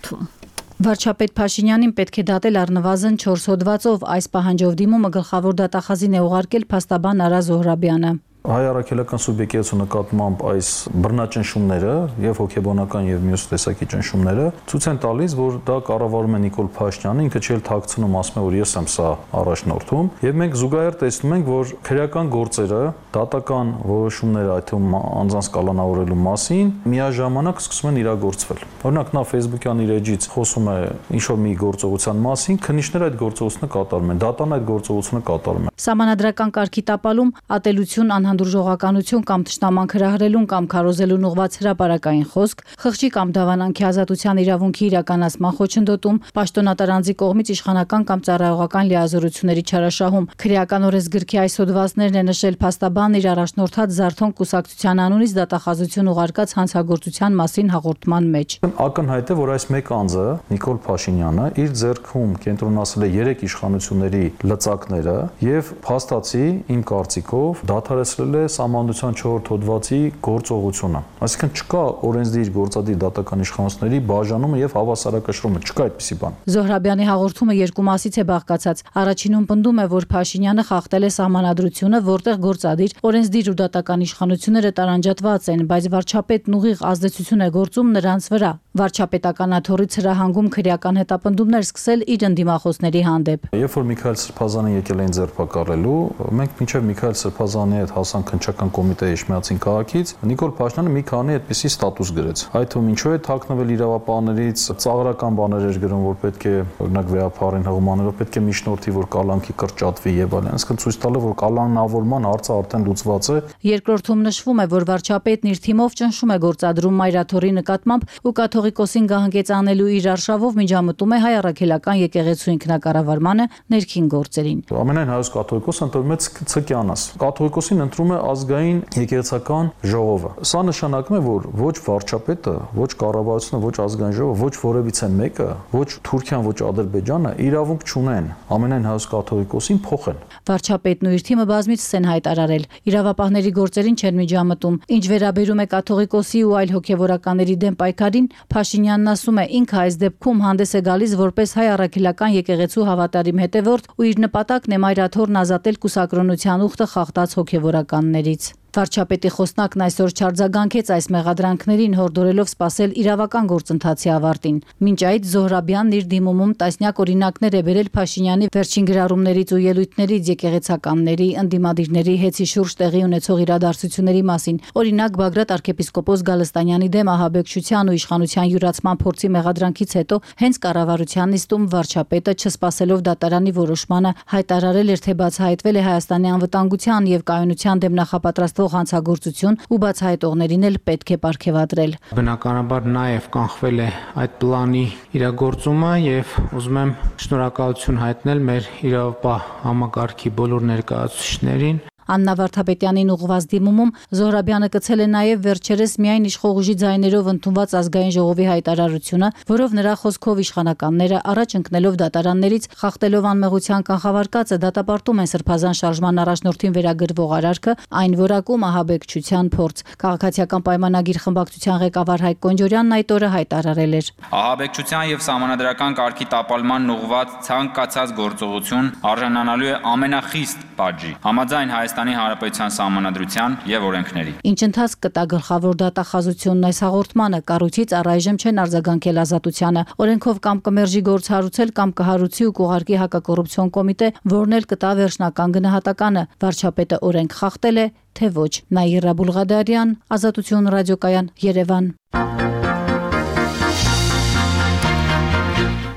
Վարչապետ Փաշինյանին պետք է դատել առնվազն չորս հոդվածով, այս պահանջով դիմումը գլխավոր դատախազին է ուղարկել փաստաբան Արա Զոհրաբյանը։ Հայ առաքելական սուբյեկտի նկատմամբ այս բռնաճնշումները եւ հոգեբանական եւ մյուս տեսակի ճնշումները ցույց են տալիս, որ դա կառավարում է Նիկոլ Փաշինյանը, ինքը չէ թաքցնում, ասում է, որ ես եմ սա առաջնորդում, եւ մենք զուգահեռ տեսնում ենք, որ քրեական գործերը, դատական որոշումները, այդ թվում անձանց կալանավորելու մասին միաժամանակ սկսում են իրագործվել։ Օրինակ նա Facebook-յան իր էջից խոսում է ինչ-որ մի գործողության մասին, քննիչները այդ գործողությունը կատարում են, դատան այդ գործողությունը կատարում են։ Սահմանադրական կարգի տապալում, ատելություն, հանդուրժողականություն կամ թշնամանք հրահրելուն կամ քարոզելուն ուղղված հրապարակային խոսք, խղճի կամ դավանանքի ազատության իրավունքի իրականացման խոչընդոտում, պաշտոնատար անձի կողմից իշխանական կամ ծառայողական լիազորությունների չարաշահում։ Քրեական օրենսգրքի այս հոդվածներն է նշել փաստաբանն իր առաջնորդած Զարթոն կուսակցության անունից դատախազություն ուղարկած հանցագործության մասին հաղորդման մեջ։ Ակնհայտ է, որ այս մեկ անձը, Նիկոլ Փաշինյանը, իր ձեռքում կենտրոնացել է երեք իշխանությունների լծակները եւ փաստացի իմ կարծիքով դադարեցրել է Սահմանադրության չորրորդ հոդվածի գործողությունը։ Այսինքն չկա օրենսդիր գործադիր դատական իշխանությունների բաժանումը եւ հավասարակշռումը, չկա այդպիսի բան։ Զոհրաբյանի հաղորդումը երկու մասից է բաղկացած։ Առաջինում պնդում է, որ Փաշինյանը խախտել է Սահմանադրությունը, որտեղ գործադիր, օրենսդիր ու դատական իշխանությունները տարանջատված են, բայց վարչապետն ուղիղ ազդեցություն է գործում նրանց վրա։ Վարչապետական աթոռից հրահանգում քրեական հետապնդումներ սկսել իր ընդդիմախոսների հանդեպ։ Երբ որ Միքայել Սրբազանը եկել էին ձերբակալելու, մենք մինչև Միքայել Սրբազանի հետ հասանք քննչական կոմիտեի Իշխմիածին քաղաքից, Նիկոլ Փաշինյանը մի քանի այդպիսի ստատուս գրեց։ Այդ թվում ինչու է թաքնվել իրավապահներից, ծաղրական բաներ էր գրում, որ պետք է օրինակ վեհապարին հղումաներով պետք է միջնորդի, որ կալանքի կրճատվի եւ այլն, այսինքն ցույց տալը, որ կալանավորման հարցը արդեն լուծված է։ Երկրորդում նշվում է, որ վարչապետն իր թիմով ճնշում է գործադրում Մայրաթորի նկատմամբ ու կաթողիկոսին գահանգեցանելու իր արշավով միջամտում է հայ առաքելական եկեղեցու ինքնակառավարմանը ներքին գործերին։ Ամենայն հայոց կաթողիկոսը ընտրում է Ցկյանաս։ Կաթողիկոսին ընտրում է ազգային եկեղեցական ժողովը։ Սա նշանակում է, որ ոչ վարչապետը, ոչ կառավարությունը, ոչ ազգային ժողովը, ոչ որևիցե մեկը, ոչ Թուրքիան, ոչ Ադրբեջանը իրավունք չունեն ամենայն հայոց կաթողիկոսին փոխեն։ Վարչապետն ու իր թիմը բազմիցս են հայտարարել, իրավապահների գործերին չեն միջամտում։ Ինչ վերաբերում է կաթողիկոսի ու այլ հոգևորականների դեմ պայքարին, Փաշինյանն ասում է, ինքը այս դեպքում հանդես է գալիս որպես հայ առաքելական եկեղեցու հավատարիմ հետևորդ ու իր նպատակն է Մայրաթորն ազատել կուսակրոնության ուխտը խախտած հոգևորականներից։ Վարչապետի խոսնակն այսօր չարձագանքեց այս մեղադրանքներին, հորդորելով սպասել իրավական գործընթացի ավարտին։ Մինչ այդ Զոհրաբյանն իր դիմումում տասնյակ օրինակներ է բերել Փաշինյանի վերջին գրառումներից ու ելույթներից եկեղեցականների, ընդդիմադիրների հեծի շուրջ տեղի ունեցող իրադարձությունների մասին։ Օրինակ Բագրատ arczepiskopos Գալստանյանի դեմ ահաբեկչության ու իշխանության յուրացման փորձի մեղադրանքից հետո հենց կառավարության նիստում վարչապետը չսպասելով դատարանի որոշմանը հայտարարել էր, թե բացահայտվել է Հայաստանի անվտանգության եւ կայունության դեմ նախապատրաստ հանցագործություն ու բացահայտողներին էլ պետք է պարգևատրել։ Բնականաբար նաև կանխվել է այդ պլանի իրագործումը եւ ուզում եմ շնորհակալություն հայտնել մեր իրավապահ համակարգի բոլոր ներկայացուցիչներին։ Աննա Վարդապետյանին ուղղված դիմումում Զոհրաբյանը կցել է նաև վերջերս միայն իշխող ուժի ձայներով ընդունված ազգային ժողովի հայտարարությունը, որով նրա խոսքով իշխանականները առաջ ընկնելով դատարաններից, խախտելով անմեղության կանխավարկածը դատապարտում են Սրբազան շարժման առաջնորդին վերագրվող արարքը, այն որակում ահաբեկչության փորձ։ Քաղաքացիական պայմանագիր խմբակցության ղեկավար Հայկ Կոնջորյանն այդ օրը հայտարարել էր. Ահաբեկչության եւ սահմանադրական կարգի տապալման ուղղված ցանկացած գործողություն արժանանալու է ամենախիստ պատժի։ Համաձայն Հայաստանի Հանրապետության Սահմանադրության եւ օրենքների։ Ինչ ընթացք կտա գլխավոր դատախազությունն այս հաղորդմանը, կառույցից առայժմ չեն արձագանքել ազատությանը։ Օրենքով կամ կմերժի գործ հարուցել կամ կհարուցի ու կուղարկի հակակոռուպցիոն կոմիտե, որն էլ կտա վերջնական գնահատականը։ Վարչապետը օրենք խախտել է, թե ոչ։ Նաիրա Բուլղադարյան, Ազատություն ռադիոկայան, Երևան։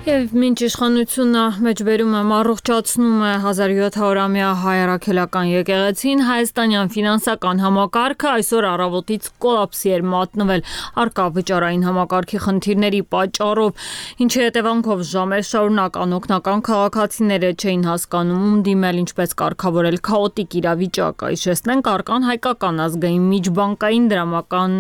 Եվ մինչ իշխանությունը մեջբերում է առողջացնում է հազար յոթ հարյուրամյա հայ առաքելական եկեղեցին, հայաստանյան ֆինանսական համակարգը այսօր առավոտից կոլապսի էր մատնվել առկա վճարային համակարգի խնդիրների պատճառով, ինչի հետևանքով ժամեր շարունակ անօգնական քաղաքացիները չէին հասկանում ում դիմել, ինչպես կարգավորել քաոտիկ իրավիճակը։ Հիշեցնենք, առկան հայկական ազգային միջբանկային դրամական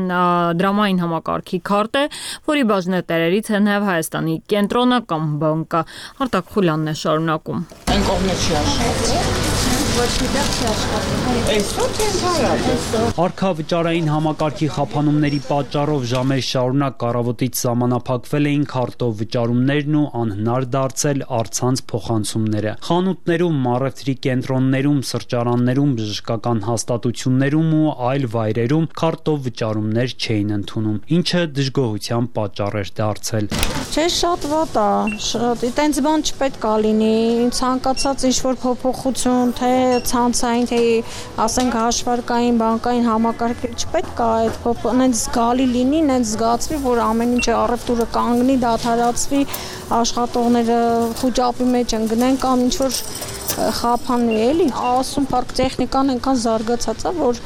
դրամային համակարգի քարտ է, որի բաժնետերերից է նաև Հայաստանի կենտրոնական բանկը։ Արտակ Խուլյանն է շարունակում։ Այն կողմը չի աշխատում։ Ոչ մի տեղ չի աշխատում։ Այսօր չեն հարաբերել։ Արքավճարային համակարգի խափանումների պատճառով ժամեր շարունակ առավոտից սահմանափակվել էին քարտով վճարումներն ու անհնար դարձել առցանց փոխանցումները։ Խանութներում, առևտրի կենտրոններում, սրճարաններում, բժշկական հաստատություններում ու այլ վայրերում քարտով վճարումներ չէին ընդունում, ինչը դժգոհության պատճառ էր դարձել։ Չէ, շատ վատ է, շատ։ Այտենց բան չպետք է լինի, ցանկացած ինչ-որ փոփոխություն, թե ցանցային, թե ասենք հաշվարկային, բանկային համակարգեր չպետք է այդ փոփոխ, նենց զգալի լինի, նենց զգացվի, որ ամեն ինչը առևտուրը կանգնի, դադարացվի, աշխատողները խոճապի մեջ ընկնեն կամ ինչ որ խափանվի, էլի։ Ասում парք տեխնիկան այնքան զարգացած է, որ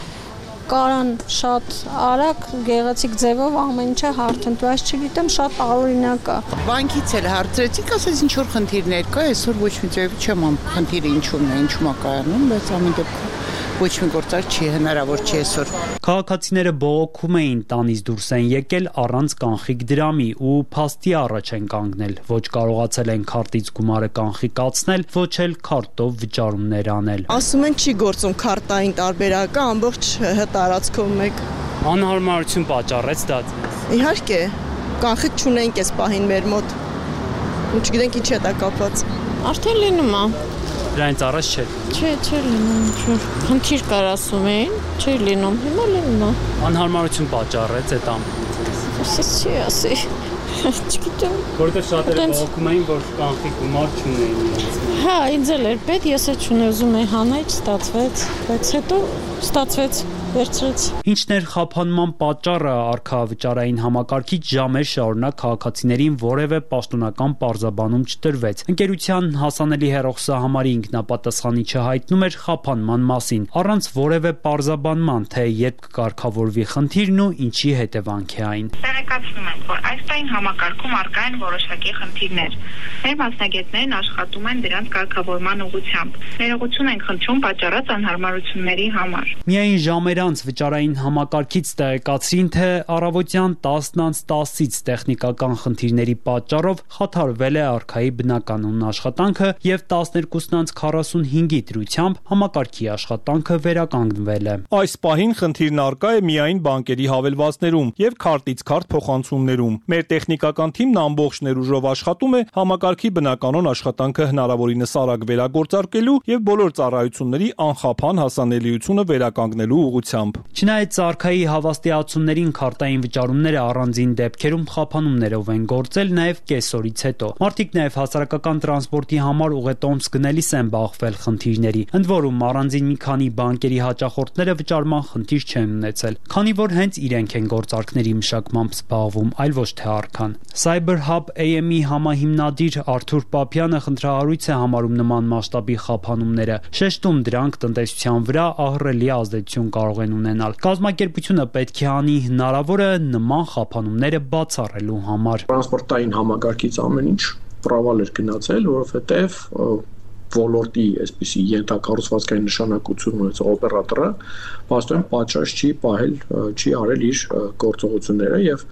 կարան շատ արագ գեղեցիկ ձևով ամեն ինչը հարթընտրի, այս չգիտեմ, շատ տարօրինակ է։ Բանկից էլ հարցրեցիք, ասես ինչ որ խնդիրներ կա, այսօր ոչ մի ձև չեմ ամ խնդիրը ինչու՞մն է, ինչու՞մ է կայանում, բայց ամեն դեպքում ոչ մի գործար չի հնարավոր չի այսօր։ Քաղաքացիները բողոքում էին, տանից դուրս են եկել առանց կանխիկ դրամի ու փաստի առաջ են կանգնել, ոչ կարողացել են քարտից գումարը կանխիկացնել, ոչ էլ քարտով վճարումներ անել։ Ասում են չի գործում քարտային տարբերակը ամբողջ տարածքով մեկ։ Անհարմարություն պատճառեց դա։ Իհարկե, կանխիկ չունենք այս պահին մեր մոտ։ Ու չգիտենք ինչ է դա կապված։ Արդեն լինում է։ Դրանից առաջ չէ։ Չէ, չէ լինում, ինչ խնդիր կար ասում էին, չէ լինում, հիմա լինում է։ Անհարմարություն պատճառեց այդ ամենը։ Ասես չի ասի։ Չգիտեմ։ Որտեղ շատերը բողոքում էին, որ կանխիկ գումար չունեին։ Հա, ինձ էլ էր պետք, ես էլ չունեի, ուզում էի հանել, չստացվեց, բայց հետո ստացվեց։ Ինչն էր խափանման պատճառը, արքայավճարային համակարգից ժամեր շարունակ քաղաքացիներին որևէ պաշտոնական պարզաբանում չտրվեց։ Ընկերության հասանելի հեռախոսահամարի ինքնապատասխանիչը հայտնում էր խափանման մասին, առանց որևէ պարզաբանման, թե երբ կկարգավորվի խնդիրն ու ինչի հետևանք է այն։ Տեղեկացնում ենք, որ այս տարին համակարգում առկա են որոշակի խնդիրներ։ Մեր մասնագետներն աշխատում են դրանց կարգավորման ուղղությամբ։ Ներողություն ենք խնդրում պատճառած անհարմարությունների համար։ Միայն ժամեր անց վճարային համակարգից տեղեկացրին, թե առավոտյան տասնից տասից տեխնիկական խնդիրների պատճառով խաթարվել է արքայի բնականոն աշխատանքը եւ տասներկուսից քառասունհինգի դրությամբ համակարգի աշխատանքը վերականգնվել է։ Այս պահին խնդիրն առկա է միայն բանկերի հավելվածներում եւ քարտից քարտ փոխանցումներում։ Մեր տեխնիկական թիմն ամբողջ ներուժով աշխատում է համակարգի բնականոն աշխատանքը հնարավորինս արագ վերագործարկելու եւ բոլոր ծառայությունների անխափան հասանելիությունը վերականգնելու ուղղությամբ։ Չնայած արքայի հավաստիացումներին քարտային վճարումները առանձին դեպքերում խափանումներով են գործել նաև կեսօրից հետո։ Մարդիկ նաև հասարակական տրանսպորտի համար ուղետոմս գնելիս են բախվել խնդիրների, ընդ որում առանձին մի քանի բանկերի հաճախորդները վճարման խնդիր չեն ունեցել, քանի որ հենց իրենք են գործարքների մշակմամբ զբաղվում, այլ ոչ թե արքան։ CyberHub A M-ի համահիմնադիր Արթուր Պապյանը խնդրահարույց է համարում նման մասշտաբի խափանումները, շեշտում դրանք տնտեսության վրա ահռելի ազդեցություն կարող են ունենալ։ Կազմակերպությունը պետք է անի հնարավորը նման խափանումները բացառելու համար։ Տրանսպորտային համակարգից ամեն ինչ պրավալ էր գնացել, որովհետև ոլորտի այսպիսի ենթակառուցվածքային նշանակություն ունեցող օպերատորը բաստոն պատշաճ չի պահել, չի արել իր գործողությունները եւ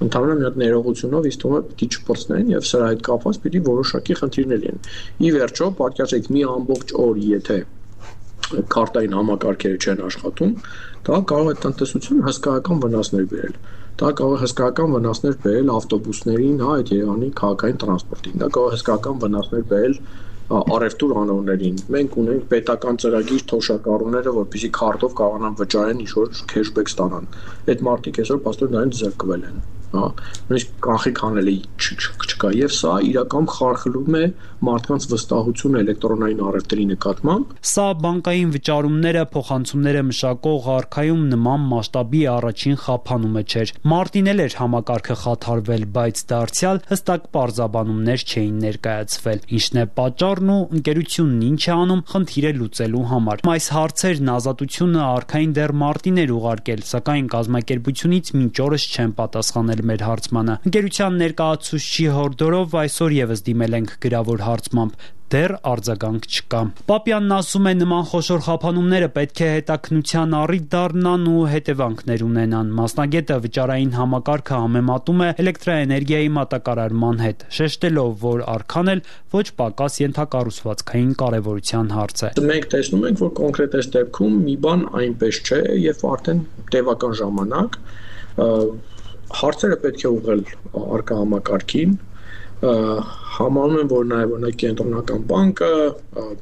ընդհանրապես մի հատ ներողությունով ինձ թվում է պիտի չփորձնեն եւ սրա հետ կապված պիտի որոշակի խնդիրներ լինեն։ Ի վերջո, պատկերացրեք մի ամբողջ օր, եթե քարտային համակարգերը չեն աշխատում, դա կարող է տնտեսություն հսկայական վնասներ բերել։ Դա կարող է հսկայական վնասներ բերել ավտոբուսներին, հա, այդ Երևանի քաղաքային տրանսպորտին։ Դա կարող է հսկայական վնասներ բերել առևտուր անողներին։ Մենք ունենք պետական ծրագիր թոշակառուները, որպեսզի քարտով կարողանան վճարեն ինչ-որ քեշբեք ստանան։ Այդ մարդիկ այսօր պաստոր դրանից զրկվել են, հա։ Նույնիսկ կանխիկ հանելի չկա եւ սա իրական խարխլում է մարդկանց վստահությունը էլեկտրոնային առևտրի նկատմամբ։ Սա բանկային վճարումները, փոխանցումները մշակող արքայում նման մասշտաբի առաջին խափանումը չէր։ Մարտին էլ էր համակարգը խաթարվել, բայց դարձյալ հստակ պարզաբանումներ չէին ներկայացվել։ Ինչն է պատճառն ու ընկերությունն ինչ է անում խնդիրը լուծելու համար։ Այս հարցերն ազատությունը արքային դեռ մարտին էր ուղարկել, սակայն կազմակերպությունից մինչ օրս չեն պատասխանել մեր հարցմանը։ Ընկերության ներկայացուցչի հորդորով այսօր եւս դիմել ենք գրավոր հարցմամբ, դեռ արձագանք չկա։ Պապյանն ասում է նման խոշոր խափանումները պետք է հետաքնության առիթ դառնան ու հետևանքներ ունենան։ Մասնագետը վճարային համակարգը համեմատում է էլեկտրաէներգիայի մատակարարման հետ, շեշտելով, որ արքան էլ ոչ պակաս ենթակառուցվածքային կարևորության հարց է։ Մենք տեսնում ենք, որ կոնկրետ այս դեպքում մի բան այնպես չէ, եւ արդեն տևական ժամանակ հարցերը պետք է ուղղել արկա համակարգին, համարում են, որ նաև օրինակ կենտրոնական բանկը,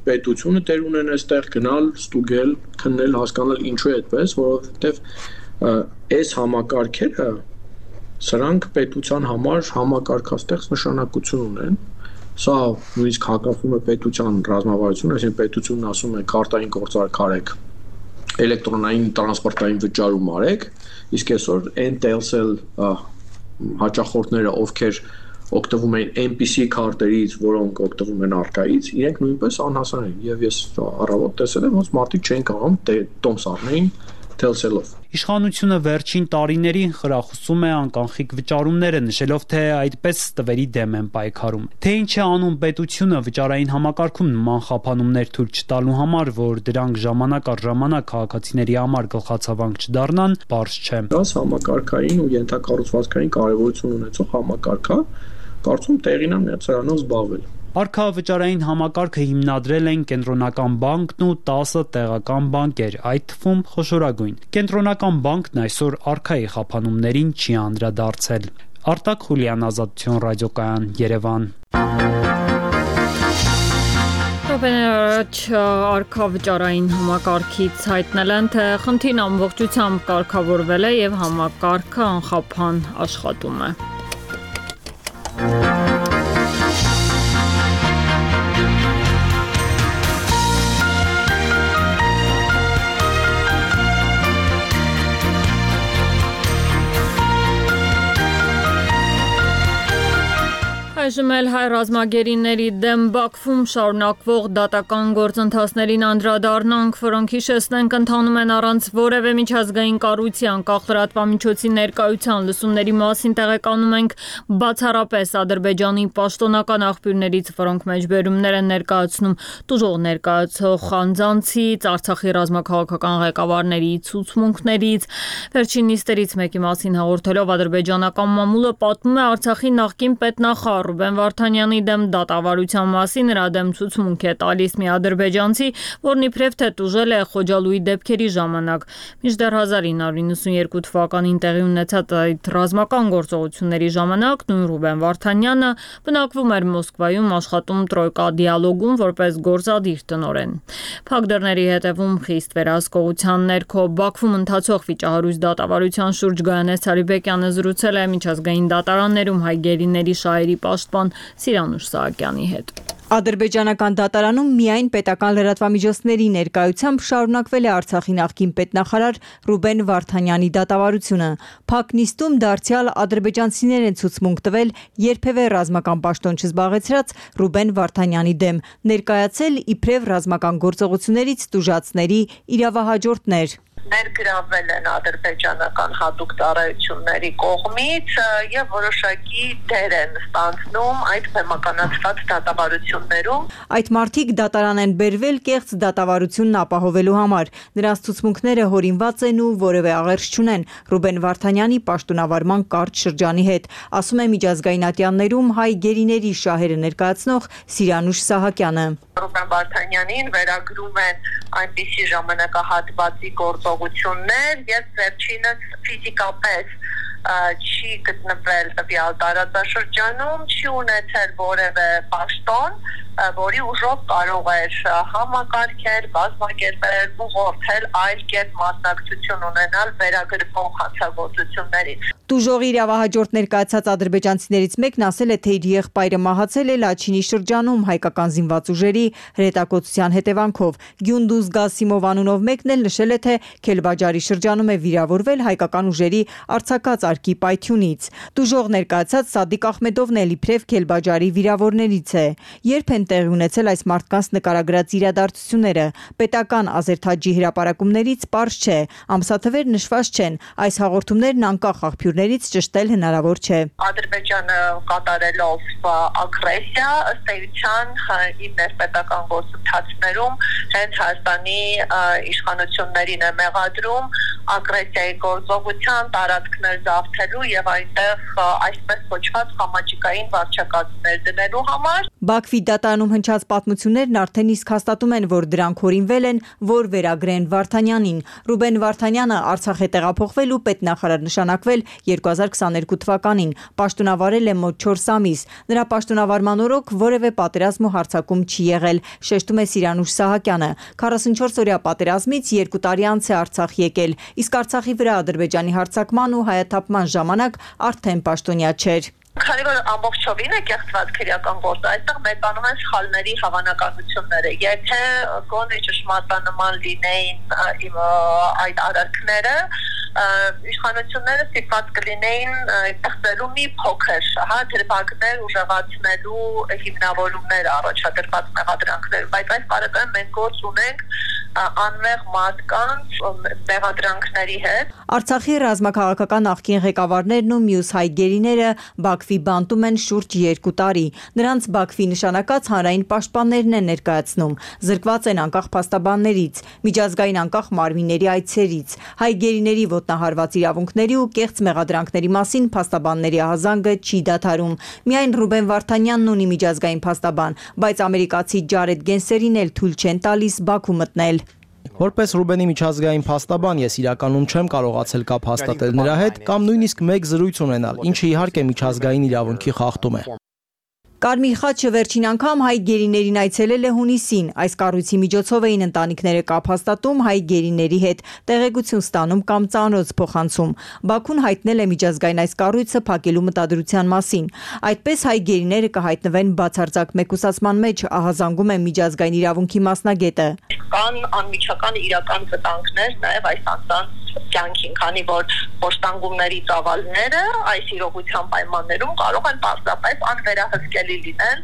պետությունը տեր ունեն այստեղ գնալ, ստուգել, քննել, հասկանալ ինչու է այդպես, որովհետև այս համակարգերը սրանք պետության համար համակարգաստեղծ նշանակություն ունեն, Սա նույնիսկ հակասում է պետության ռազմավարությունը, այսինքն պետությունն ասում է քարտային գործարք արեք, էլեկտրոնային տրանսպորտային վճարում արեք, իսկ այսօր այն Telcel հաճախորդները, ովքեր օգտվում են այնպիսի քարտերից, որոնք օգտվում են արկայից, իրենք նույնպես անհասան են եւ ես առավոտ տեսել եմ, ոնց մարդիկ չեն կարող տոմս առնեին Telcel-ով։ Իշխանությունը վերջին տարիներին խրախուսում է անկանխիկ վճարումները, նշելով, թե այդպես տվերի դեմ են պայքարում։ Թե ինչ է անում պետությունը վճարային համակարգում նման խափանումներ թույլ չտալու համար, որ դրանք ժամանակ առ ժամանակ քաղաքացիների համար գլխացավանք չդառնան, բարձ չէ։ Դա համակարգային ու ենթակառուցվածքային կարևորություն ունեցող համակարգ է, կարծում տեղին է սրանով զբաղվել։ Արքա վճարային համակարգը հիմնադրել են Կենտրոնական բանկն ու տասը տեղական բանկեր, այդ թվում խոշորագույն։ Կենտրոնական բանկն այսօր արքայի խափանումներին չի անդրադարձել։ Արտակ Խուլյան, Ազատություն ռադիոկայան, Երևան։ Րոպեներ առաջ արքա վճարային համակարգից հայտնել են, թե խնդիրն ամբողջությամբ կարգավորվել է եւ համակարգը անխափան աշխատում է։ Այժմ էլ հայ ռազմագերիների դեմ Բաքվում շարունակվող դատական գործընթացներին անդրադառնանք, որոնք հիշեցնենք ընթանում են առանց որևէ միջազգային կառույցի անկախ լրատվամիջոցի ներկայության։ Լսումների մասին տեղեկանում ենք բացառապես Ադրբեջանի պաշտոնական աղբյուրներից, որոնք մեջբերումներ են ներկայացնում տուժող ներկայացող անձանցից, Արցախի ռազմաքաղաքական ղեկավարների ցուցմունքներից։ Վերջին նիստերից մեկի մասին հաղորդելով ադրբեջանական մամուլը պատմում է Արցախի նախկին պետնախարար Ռուբեն Վարդանյանի դեմ դատավարության մասին նրա դեմ ցուցմունք է տալիս մի ադրբեջանցի, որն իբրև թե տուժել է Խոջալույի դեպքերի ժամանակ։ Մինչդեռ հազար ինը հարյուր նվաթ թվականին տեղի ունեցած այդ ռազմական գործողությունների ժամանակ նույն Ռուբեն Վարդանյանը բնակվում էր Մոսկվայում, աշխատում Տրոյկա դիալոգում որպես գործադիր տնօրեն։ Փակ դռների հետևում խիստ վերահսկողության ներքո Բաքվում ընթացող վիճահարույց դատավարության շուրջ Գայանես Ցարիբեկյանը զրուցել է միջազգային դատարաններում հայ գերիների շահերի պաշտպան Սիրանուշ Սահակյանի հետ։ Ադրբեջանական դատարանում միայն պետական լրատվամիջոցների ներկայությամբ շարունակվել է Արցախի նախկին պետնախարար Ռուբեն Վարդանյանի դատավարությունը։ Փակ նիստում դարձյալ ադրբեջանցիներ են ցուցմունք տվել երբևէ ռազմական պաշտոն չզբաղեցրած Ռուբեն Վարդանյանի դեմ, ներկայացել իբրև ռազմական գործողություններից տուժածների իրավահաջորդներ։ Ներգրավվել են ադրբեջանական հատուկ ծառայությունների կողմից եւ որոշակի դեր են ստանձնում այդ բեմականացված դատավարություններում։ Այդ մարդիկ դատարան են բերվել կեղծ դատավարությունն ապահովելու համար։ Նրանց ցուցմունքները հորինված են ու որևէ աղերս չունեն Ռուբեն Վարդանյանի պաշտոնավարման կարճ շրջանի հետ, ասում է միջազգային ատյաններում հայ գերիների շահերը ներկայացնող Սիրանուշ Սահակյանը։ Ռուբեն Վարդանյանին վերագրում են այնպիսի ժամանակահատվածի գործողություններ եւ վերջինս ֆիզիկապես չի գտնվել տվյալ տարածաշրջանում, չի ունեցել որևէ պաշտոն, որի ուժով կարող էր համակարգել, բազմակերպել, ուղղորդել այլ կերպ մասնակցություն ունենալ վերագրվող հանցագործություններից։ Տուժողի իրավահաջորդ ներկայացած ադրբեջանցիներից մեկն ասել է, թե իր եղբայրը մահացել է Լաչինի շրջանում հայկական զինված ուժերի հրետակոծության հետևանքով։ Գյունդուզ Գասիմով անունով մեկն էլ նշել է, թե Քելբաջարի շրջանում է վիրավորվել հայկական ուժերի արձակած արկի պայթյունից։ Տուժող ներկայացած Սադիկ Ախմեդովն էլ իբրև Քելբաջարի վիրավորներից է։ Երբ են տեղի ունեցել այս մարդկանց նկարագրած իրադարձությունները, պետական Ազերթաջի հրապարակումներից պարզ չէ, ամսաթվեր նշված չեն, այս հաղորդումներն անկախ աղբյուրներից ճշտել հնարավոր չէ։ Ադրբեջանը կատարելով ագրեսիա ըստ էության իր ներպետական գործընթացներում հենց Հայաստանի իշխանություններին է մեղադրում ագրեսիայի գործողության տարածքներ զավթելու եւ այնտեղ այսպես կոչված համաճկային վարչակազմներ դնելու համար։ Բաքվի դատարանում հնչած պատմություններն արդեն իսկ հաստատում են, որ դրանք հորինվել են, որ վերագրեն Վարդանյանին։ Ռուբեն Վարդանյանը Արցախ է տեղափոխվել ու պետնախարար նշանակվել երկու հազար քսաներկու թվականին, պաշտոնավարել է մոտ չորս ամիս։ Նրա պաշտոնավարման օրոք որևէ պատերազմ ու հարձակում չի եղել, շեշտում է Սիրանուշ Սահակյանը։ քառասունչորս օրյա պատերազմից երկու տարի անց է Արցախ եկել, իսկ Արցախի վրա Ադրբեջանի հարձակման ու հայաթափման ժամանակ արդեն պաշտոնյա չէր։ Քանի որ ամբողջովին է կեղծված քրեական գործը, այստեղ մեծանում են սխալների հավանականությունները։ Եթե գոնե ճշմարտանման լինեին այդ արարքները, իշխանությունները ստիպված կլինեին ստեղծելու մի փոքր, հա, դրվագներ ուժեղացնելու հիմնավորումներ առաջադրված մեղադրանքներ, բայց այս պարագայում մենք գործ ունենք անմեղ մարդկանց մեղադրանքների հետ։ Արցախի ռազմաքաղաքական նախկին ղեկավարներն ու մյուս հայ գերիները Բաքվի բանտում են շուրջ երկու տարի։ Նրանց Բաքվի նշանակած հանրային պաշտպաններն են ներկայացնում, զրկված են անկախ փաստաբաններից, միջազգային անկախ մարմինների այցերից։ Հայ գերիների ոտնահարված իրավունքների ու կեղծ մեղադրանքների մասին փաստաբանների ահազանգը չի դադարում։ Միայն Ռուբեն Վարդանյանն ունի միջազգային փաստաբան, բայց ամերիկացի Ջարեդ Գենսերին էլ թույլ չեն տալիս Բաքու մտնել։ Որպես Ռուբենի միջազգային փաստաբան ես իրականում չեմ կարողացել կապ հաստատել նրա հետ կամ նույնիսկ մեկ զրույց ունենալ, ինչը իհարկե միջազգային իրավունքի խախտում է։ Կարմիր խաչը վերջին անգամ հայ գերիներին այցելել է հունիսին։ Այս կառույցի միջոցով էին ընտանիքները կապ հաստատում հայ գերիների հետ, տեղեկություն ստանում կամ ծանոթ փոխանցում։ Բաքուն հայտնել է միջազգային այս կառույցը փակելու մտադրության մասին։ Այդպես հայ գերիները կհայտնվեն բացարձակ մեկուսացման մեջ, ահազանգում է միջազգային իրավունքի մասնագետը։ Կան անմիջական իրական վտանգներ նաև այս անձանց կյանքին, քանի որ փոստանգումների ծավալները այս իրողության պայմաններում կարող են պարզապես անվերահսկելի լինեն,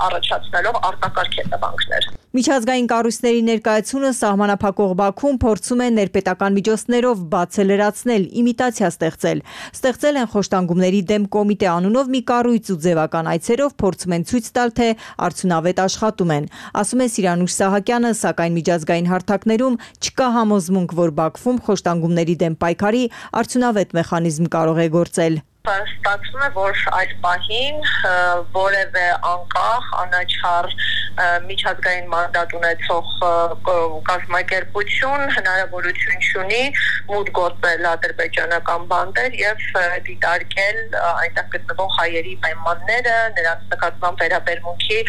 առաջացնելով արտակարգ հետևանքներ։ Միջազգային կառույցների ներկայությունը սահմանափակող Բաքուն փորձում է ներպետական միջոցներով բացը լրացնել, իմիտացիա ստեղծել։ Ստեղծել են խոշտանգումների դեմ կոմիտե անունով մի կառույց ու ձևական այցերով փորձում են ցույց տալ, թե արդյունավետ աշխատում են։ Ասում է Սիրանուշ Սահակյանը, սակայն միջազգային հարթակներում չկա համոզմունք, որ Բաքվում խոշտանգումների դեմ պայքարի արդյունավետ մեխանիզմ կարող է գործել։ Ստացվում է, որ այս պահին որևէ անկախ, անաչառ միջազգային մանդատ ունեցող կազմակերպություն հնարավորություն չունի մուտք գործել ադրբեջանական բանտեր եւ դիտարկել այնտեղ գտնվող հայերի պայմանները, նրանց նկատմամբ վերաբերմունքի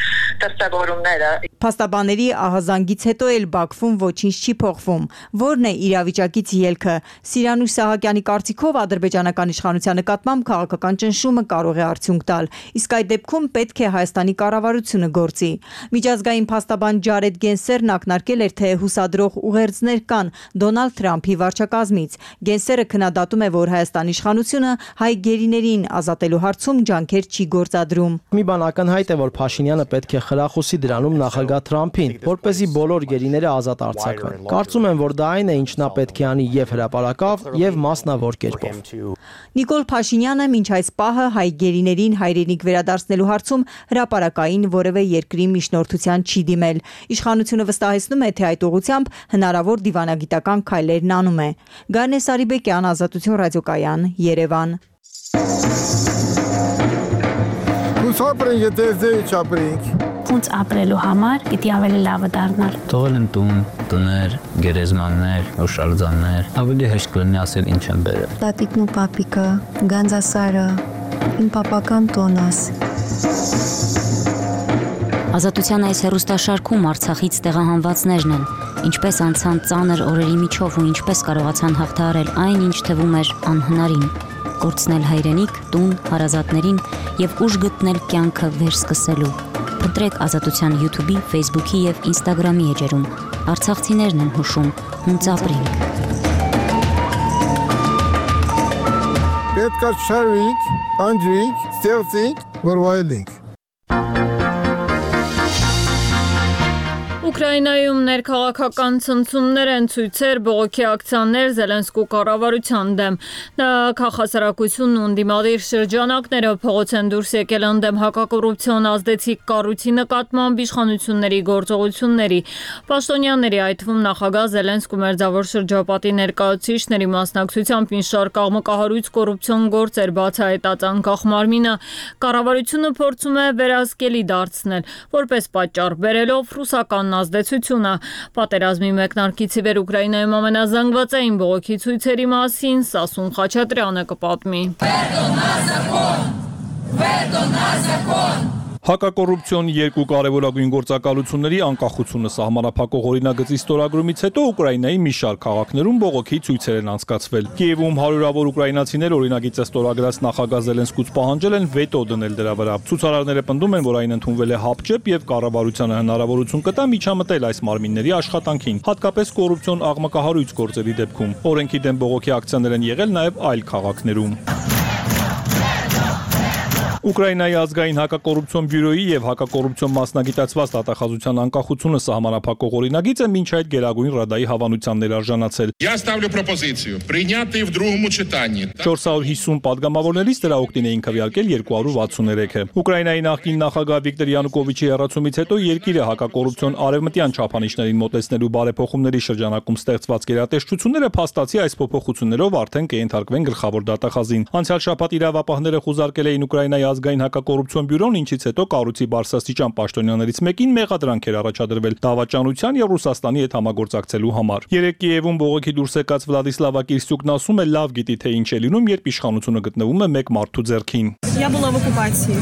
դրսևորումները։ Փաստաբանների ահազանգից հետո էլ Բաքվում ոչինչ չի փոխվում։ Որն է իրավիճակից ելքը։ Սիրանուշ Սահակյանի կարծիքով ադրբեջանական իշխանության նկատմամբ քաղաքական ճնշումը կարող է արդյունք տալ, իսկ այդ դեպքում պետք է Հայաստանի կառավարությունը գործի։ Միջազգային փաստաբան Ջարեդ Գենսերն ակնարկել էր, թե հուսադրող ուղերձներ կան Դոնալդ Թրամփի վարչակազմից։ Գենսերը քննադատում է, որ Հայաստանի իշխանությունը հայ գերիներին ազատելու հարցում ջանքեր չի գործադրում։ Մի բան ակնհայտ է, որ Փաշինյանը պետք է խրախուսի դրանում նախագահ Թրամփին, որպեսզի բոլոր գերիները ազատ արձակվեն։ Կարծում եմ, որ դա այն է, ինչ նա պետք է անի եւ հրապարակավ, եւ մասնավոր կերպով։ Նիկոլ Փաշինյանը մինչ այս պահը հայ գերիներին հայրենիք վերադարձնելու հարցում հրապարակային որևէ երկրի միջնորդության չի դիմել։ Իշխանությունը վստահեցնում է, թե այդ ուղղությամբ հնարավոր դիվանագիտական քայլերն անում է։ Գարնե Սարիբեկյան, Ազատություն ռադիոկայան, Երևան։ Ուսապրենք, եթե չապրենք։ Ոնց ապրելու համար պիտի ավելի լավը դառնալ։ Թողել են տուն, տներ, գերեզմաններ, օշալձաններ, ավելի հեշտ կլինի ասել ինչ են բերել։ Տատիկն ու պապիկը, Գանձասարը, իմ պապական տոնս։ Ազատության այս հեռուստաշարքում Արցախից տեղահանվածներն են, ինչպես անցան ծանր օրերի միջով ու ինչպես կարողացան հաղթահարել այն, ինչ թվում էր անհնարին, կորցնել հայրենիք, տուն, հարազատներին եւ ուժ գտնել կյանքը վերսկսելու։ Փնտրեք Ազատության YouTube-ի, Facebook-ի եւ Instagram-ի էջերում։ Արցախցիներն են հուշում, հունց ապրենք։ Պետք է շարվենք, անջրենք, ստեղծենք, որ վայելենք։ Ուկրաինայում ներքաղաքական ցնցումներ են, ցույցեր, բողոքի ակցիաներ Զելենսկու կառավարության դեմ։ Քաղաքասարակությունն ու ընդդիմադիր շրջանակները փողոց են դուրս եկել ընդդեմ հակակոռուպցիոն ազդեցիկ կառույցի նկատմամբ իշխանությունների գործողությունների։ Պաշտոնյաների, այդ թվում նախագահ Զելենսկու մերձավոր շրջապատի ներկայացուցիչների մասնակցությամբ մի շարք աղմկահարույց կոռուպցիոն գործեր բացահայտած անկախ մարմինը կառավարությունը փորձում է վերահսկելի դարձնել, որպես պատճառ բերելով ռուսական ազդեցությունը։ Պատերազմի մեկնարկից ի վեր Ուկրաինայում ամենազանգվածային բողոքի ցույցերի մասին Սասուն Խաչատրյանը կպատմի։ Հակակոռուպցիոն երկու կարևորագույն գործակալությունների անկախությունը սահմանափակող օրինագծի ստորագրումից հետո Ուկրաինայի մի շարք քաղաքներում բողոքի ցույցեր են անցկացվել։ Կիևում հարյուրավոր ուկրաինացիներ օրինագիծը ստորագրած նախագահ Զելենսկուց պահանջել են վետո դնել դրա վրա։ Ցուցարարները պնդում են, որ այն ընդունվել է հապճեպ եւ կառավարությանը հնարավորություն կտա միջամտել այս մարմինների աշխատանքին, հատկապես կոռուպցիոն աղմկահարույց գործերի դեպքում։ Օրենքի դեմ բողոքի ակցիաներ են եղել նաեւ այլ քաղաքներում։ Ուկրաինայի ազգային հակակոռուպցիոն բյուրոյի եւ հակակոռուպցիոն մասնագիտացված դատախազության անկախությունը սահմանափակող օրինագիծը մինչ այդ Գերագույն Ռադայի հավանության ներարժանացել։ Я ставлю пропозицию принятый в другом читании. չորս հարյուր հիսուն падգամավորներից դրա օգտին էին քվեարկել երկու հարյուր վաթսուներեքը։ Ուկրաինայի նախկին նախագահ Վիկտոր Յանուկովիչի հեռացումից հետո երկիրը հակակոռուպցիոն արևմտյան չափանիշներին մոտեցնելու բարեփոխումների շրջանակում ստեղծված գերատեսչությունները փաստացի այս փոփոխություններով արդեն կենթարկվեն գլխավոր դատախազին։ Անցյալ շաբաթ իրավապահները խուզարկել էին Ուկրաինայի ազգային հակակոռուպցիոն բյուրոն, ինչից հետո կառույցի բարձրաստիճան պաշտոնյաներից մեկին մեղադրանք էր առաջադրվել դավաճանության եւ Ռուսաստանի հետ համագործակցելու համար։ Երեկ Կիևում բողոքի դուրս եկած Վլադիսլավա Կիրստյուկն ասում է, լավ գիտի թե ինչ է լինում, երբ իշխանությունը գտնվում է մեկ մարդու ձեռքին։ Я була в окупації,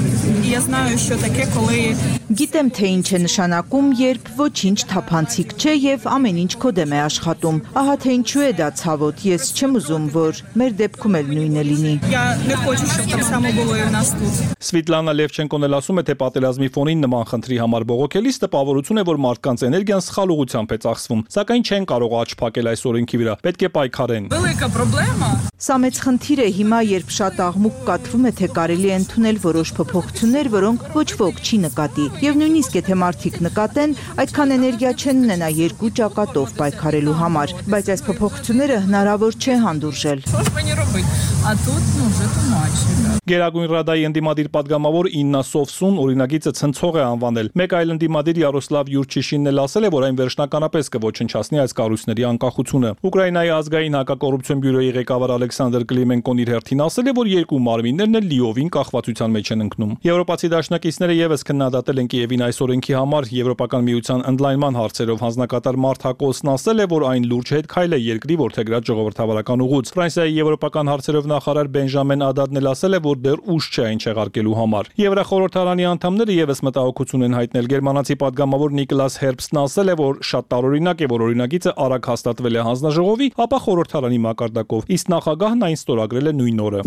і я знаю, що таке, коли Գիտեմ թե ինչ է նշանակում, երբ ոչինչ թափանցիկ չէ եւ ամեն ինչ քո դեմ է աշխատում։ Ահա թե ինչու է դա ցավոտ, ես չեմ ուզում, որ մեր դեպքում էլ նույնը լինի։ Я не хочу, щоб так само було і в нас тут. Սվիտլանա Լևչենկոն էլ ասում է, թե պատերազմի ֆոնին նման խնդրի համար բողոքելիս տպավորություն է, որ մարդկանց էներգիան սխալ ուղղությամբ է ծախսվում, սակայն չեն կարող աչք փակել այս օրենքի վրա, պետք է պայքարեն։ Велика проблема. Սա մեծ խնդիր է հիմա, երբ շատ աղմուկ կատրվում է, թե կարելի է ընդունել որոշ փոփոխություններ, որոնք ոչ ոք չի նկատի։ Եվ նույնիսկ եթե մարդիկ նկատեն, այդքան էներգիա չեն ունենա երկու ճակատով պայքարելու համար, բայց այս փոփոխությունները հնարավոր չէ հանդուրժել։ Що ж мені робити? А тут, ну, вже тумачно. Գերագույն Ռադայի ընդդիմադիր падգամավոր Իննա Սովսուն օրինագիծը ցնցող է անվանել։ Մեկ այլ ընդդիմադիր Յարոսլավ Յուրչիշինն էլ ասել է, որ այն վերջնականապես կոչնչացնի այս կառույցների անկախությունը։ Ուկրաինայի ազգային հակակոռուպցիոն բյուրոյի ղեկավար Ալեքսանդր Կլիմենկոն իր հերթին ասել է, որ երկու մարմիններն էլ լիովին կախվածության մեջ են ընկնում։ Եվրոպացի դաշնակիցները եւս քննադատել են Կիևին այս օրենքի համար։ Եվրոպական միության ընդլայնման հարցերով հանձնակատար Մարթ Հակոսն ասել է, որ այն լուրջ հետ քայլ է երկրի ворթեգրած ժողովրդավարական ուղուց։ Ֆրանսիայի եվրոպական հարցերով նախարար Բենժամեն Ադադն էլ ասել է, որ դեռ ուշ չէ այն չեղարկելու համար։ Եվրախորհրդարանի անդամները եւս մտահոգություն են հայտնել։ Գերմանացի падգամավոր Նիկլաս Հերբստն ասել է, որ շատ տարօրինակ է, որ օրինագիծը արագ հաստատվել է հանձնաժողովի, ապա խորհրդարանի մակարդակով, իսկ նախագահն այն ստորագրել է նույն օրը։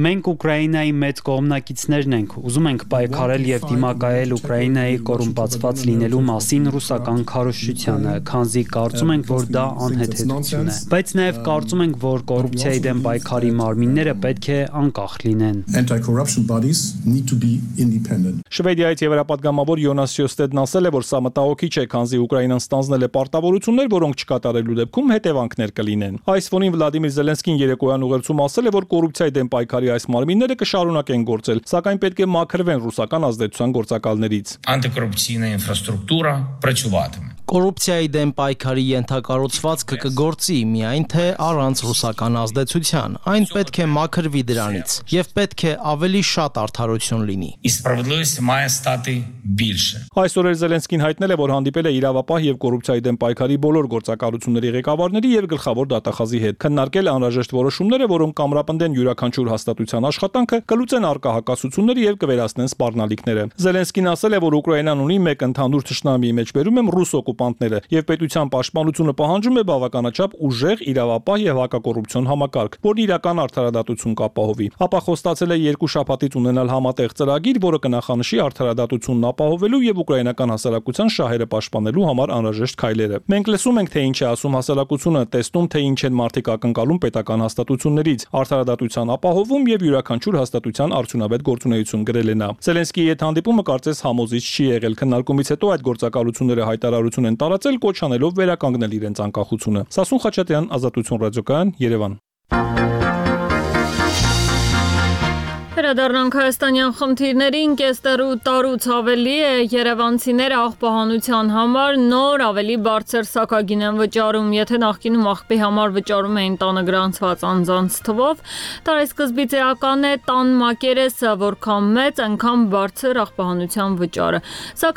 Մենք Ուկրաինայի մեծ կողմնակիցներն ենք, ուզում ենք պայքարել եւ դիմակայել Ուկրաինայի կոռումպացված լինելու մասին ռուսական քարոզչությանը, քանզի կարծում ենք, որ դա անհեթեթություն է։ Բայց նաեւ կարծում ենք, որ կոռուպցիայի դեմ պայքարի մարմինները պետք է անկախ լինեն։ Շվեդիայից եվրապատգամավոր Յոնաս Սյոստեդն ասել է, որ սա մտահոգիչ է, քանզի Ուկրաինան ստանձնել է պարտավորություններ, որոնք չկատարելու դեպքում հետևանքներ կլինեն։ Այս ֆոնին Վլադիմիր Զելենսկին երեկոյան ուղերձում ասել է, որ կոռուպցիայի դեմ պայքարի այս մարմինները կշարունակեն գործել, սակայն պետք է մաքրվեն ռուսական ազդեցության գործակալներից։ Антикорупційна інфраструктура працюватиме. Կոռուպցիայի դեմ պայքարի ենթակառուցվածքը կգործի, միայն թե առանց ռուսական ազդեցության։ Այն պետք է մաքրվի դրանից եւ պետք է ավելի շատ արդարություն լինի։ І справедливість має стати більше. Այսօր էլ Զելենսկին հայտնել է, որ հանդիպել է իրավապահ եւ կոռուպցիայի դեմ պայքարի բոլոր գործակալությունների ղեկավարների եւ գլխավոր դատախազի հետ, քննարկել անհրաժեշտ որոշումները, որոնք կամրապնդեն յուրաքանչյուր հաստատության աշխատանքը, կլուծեն առկա հակասությունները եւ կվերացնեն սպառնալիքները։ Զելենսկին ասել է, որ Ուկրաինան ունի մեկ ընդհանուր թշնամի, մեջբերում եմ ռուս օկուպանտները, եւ պետության պաշտպանությունը պահանջում է բավականաչափ ուժեղ իրավապահ եւ հակակոռուպցիոն համակարգ, որն իրական արդարադատություն կապահովի։ Ապա խոստացել է երկու շաբաթից ունենալ համատեղ ծրագիր, որը կնախանշի արդարադատությունն ապահովելու եւ ուկրաինական հասարակության շահերը պաշտպանելու համար անհրաժեշտ քայլերը։ Մենք լսում ենք, թե ինչ է ասում հասարակությունը, տեսնում, թե ինչ են մարդիկ ակնկալում պետական հաստատություններից, արդարադատության ապահովում եւ յուրաքանչյուր հաստատության արդյունավետ գործունեություն գրել է նա։ Զելենսկիի հետ հանդիպումը կարծես համոզիչ չի եղել։ Քննարկումից հետո այդ գործակալությունները հայտարարություն են տարածել, կոչ անելով վերականգնել իրենց անկախությունը։ Սասուն Խաչատրյան, Ազատություն ռադիոկայան, Երևան։ Վերադառնանք հայաստանյան խնդիրներին, կեստերու տարուց ավելի է երևանցիները աղբահանության համար նոր ավելի բարձր սակագին են վճարում, եթե նախկինում աղբի համար վճարում էին տանը գրանցված անձանց թվով, տարեսկզբից էական է տան մակերեսը, որքան մեծ, այնքան բարձր աղբահանության վճարը։ Սա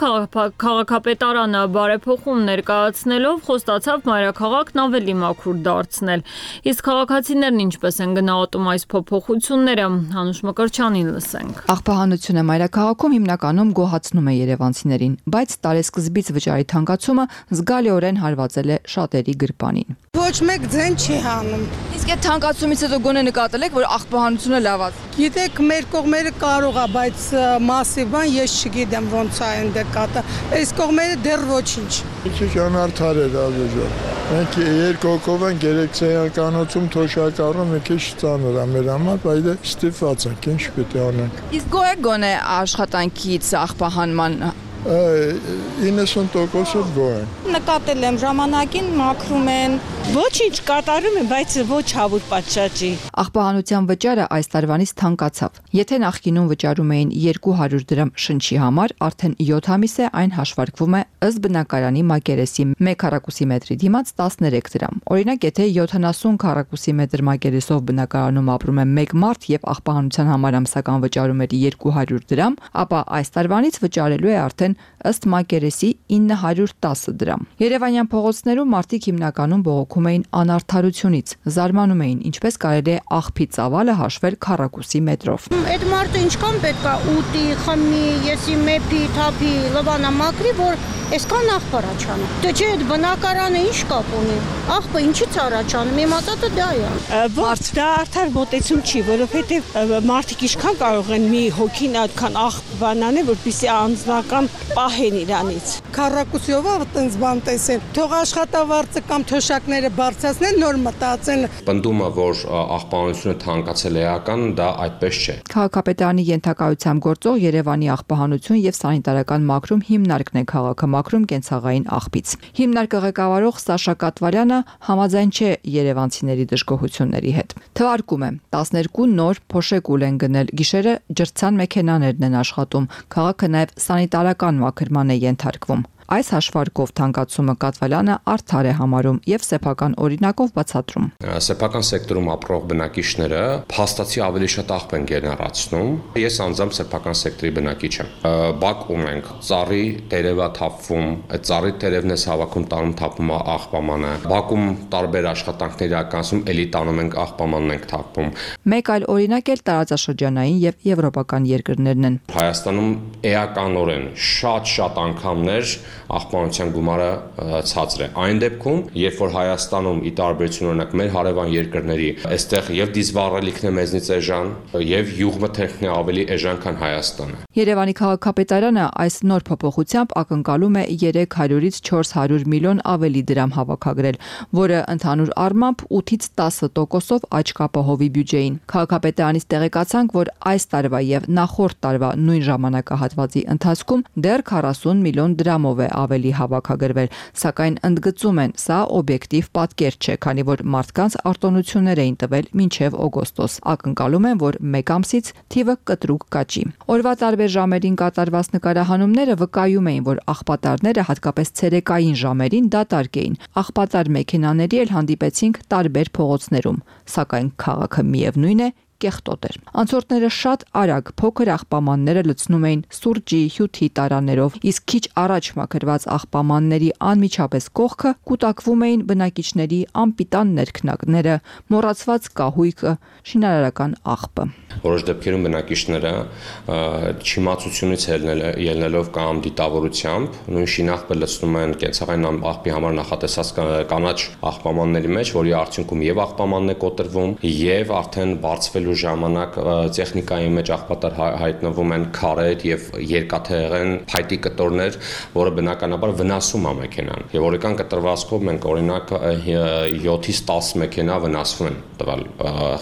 քաղաքապետարանը բարեփոխում ներկայացնելով խոստացավ մայրաքաղաքն ավելի մաքուր դարձնել։ Իսկ քաղաքացիներն ինչպես են գնահատում այս փոփոխությունները, Հանուշ Վրչանին լսենք։ Աղբահանությունը մայրաքաղաքում հիմնականում գոհացնում է երևանցիներին, բայց տարեսկզբից վճարի թանկացումը զգալիորեն հարվածել է շատերի գրպանին։ Ոչ մեկ ձեն չի հանում։ Իսկ այդ թանկացումից հետո գոնե նկատել եք, որ աղբահանությունը լավաց։ Գիտեք, մեր կողմերը կարող է, բայց մասի բան ես չգիտեմ ոնց է այն դեկատը։ Այս կողմերը դեռ ոչինչ։ Քիչ անարդար էր ազոժը։ Մենք երկու հոգով ենք երեքսեյանկանոցում թոշակառում մի քիչ ծանր է մեր համար, բայց ստիպված ենք, ինչ պետք է անենք։ Իսկ գոհ եք գոնե աշխատանքից աղբահանման իննսուն տոկոսը գոհ են։ Նկատել եմ ժամանակին մաքրում են, ոչինչ կատարում են, բայց ոչ հավուր պատշաճի։ Աղբահանության վճարը այս տարվանից թանկացավ։ Եթե նախկինում վճարում էին երկու հարյուր դրամ շնչի համար, արդեն յոթ ամիս է այն հաշվարկվում է ըստ բնակարանի մակերեսի մեկ քառակուսի մետրի դիմաց տասներեք դրամ։ Օրինակ, եթե յոթանասուն քառակուսի մետր մակերեսով բնակարանում ապրում է մեկ մարդ եւ աղբահանության համար ամսական վճարում էր երկու հարյուր դրամ, ապա այս տարվանից վճարելու է արդեն ըստ մակերեսի ինը հարյուր տասը դրամ։ Երևանյան փողոցներում մարդիկ հիմնականում բողոքում էին անարդարությունից, զարմանում էին, ինչպես կարելի է աղբի ծավալը հաշվել քառակուսի մետրով։ Այդ մարդը ինչքան պետք է ուտի, խմի, եսի մեփի, թափի, լվանա մաքրի, որ այսքան աղբ առաջանում։ Դե չէ, այդ բնակարանը ինչ կապ ունի։ Աղբը ինչից առաջանում, իմ ասածը դա է։ Ոչ, դա արդար մոտեցում չի, որովհետև մարդիկ ինչքան կարող են մի հոգին այդքան աղբ բանան է, որպեսզի անձնական պահեն իրանից։ Քառակուսիով այդտենց բան տեսեն։ Թող աշխատավարձը կամ թոշակները բարձրացնեն, նոր մտածեն։ Պնդումը, որ աղբահանությունը թանկացել է էական, դա այդպես չէ։ Քաղաքապետարանի ենթակայությամբ գործող Երևանի աղբահանություն եւ սանիտարական մաքրում հիմնարկն է քաղաքը մաքրում կենցաղային աղբից։ Հիմնարկը ղեկավարող Սաշա Կատվարյանը համաձայն չէ երևանցիների դժգոհությունների հետ։ Թվարկում է տասներկու նոր փոշեկուլ են գնել, գիշերը ջրցան մեքենաներն են աշխատում, քաղաքը նաեւ սանիտարական մաքրման է ենթարկվում։ Այս հաշվարկով թանկացումը Կատվալյանը արդար է համարում եւ սեփական օրինակով բացատրում։ Սեփական սեկտորում ապրող բնակիչները փաստացի ավելի շատ աղբ են գեներացնում։ Ես անձամբ սեփական սեկտորի բնակիչ եմ։ Բակ ունենք, ծառի տերևա թափվում, այդ ծառի տերևն է հավաքում տանում թափում աղբամանը։ Բակում տարբեր աշխատանքներ իրականացում, էլի տանում ենք աղբամանն ենք թափվում։ Մեկ այլ օրինակ էլ տարածաշրջանային եւ եվրոպական երկրներն են։ Հայաստանում էականորեն շատ-շատ անգամներ աղբանության գումարը ցածր է։ Այն դեպքում, երբ որ Հայաստանում ի տարբերություն օրինակ մեր հարևան երկրների, այստեղ եւ դիզվառելիքն է մեզնից էժան, եւ յուղմթերքն է ավելի էժան, քան Հայաստանը։ Երևանի քաղաքապետարանը այս նոր փոփոխությամբ ակնկալում է երեք հարյուրից չորս հարյուր միլիոն ավելի դրամ հավաքագրել, որը ընդհանուր առմամբ ութից տասը տոկոսով աճ կապահովի բյուջեին։ Քաղաքապետարանից տեղեկացանք, որ այս տարվա եւ նախորդ տարվա նույն ժամանակահատվածի ընթացքում դեռ քառասուն միլիոն դրամով է ավելի հավաքագրվել, սակայն ընդգծում են, սա օբյեկտիվ պատկեր չէ, քանի որ մարդկանց արտոնություններ էին տվել մինչև օգոստոս։ Ակնկալում են, որ մեկ ամսից թիվը կտրուկ կաճի։ Օրվա տարբեր ժամերին կատարված նկարահանումները վկայում էին, որ աղբատարները հատկապես ցերեկային ժամերին դատարկ էին։ Աղբատար մեքենաների էլ հանդիպեցինք տարբեր փողոցներում, սակայն քաղաքը միևնույն է կեղտոտ էր։ Անցորդները շատ արագ փոքր աղբամանները լցնում էին սուրճի, հյութի տարաներով, իսկ քիչ առաջ մաքրված աղբամանների անմիջապես կողքը կուտակվում էին բնակիչների անպիտան ներքնակները, մոռացված կահույքը, շինարարական աղբը։ Որոշ դեպքերում բնակիչները չիմացությունից ելնելով կամ դիտավորությամբ նույն շինաղբը լցնում են կենցաղային աղբի համար նախատեսած կանաչ աղբամանների մեջ, որի արդյունքում եւ աղբամանն է կոտրվում, եւ արդեն բարձվելու ժամանակ տեխնիկայի մեջ աղբատար հայտնվում են քարեր եւ երկաթեղեն փայտի կտորներ, որը բնականաբար վնասում է մեքենան։ Եվ օրական կտրվածքով մենք օրինակ յոթից տասը մեքենա վնասվում են տվյալ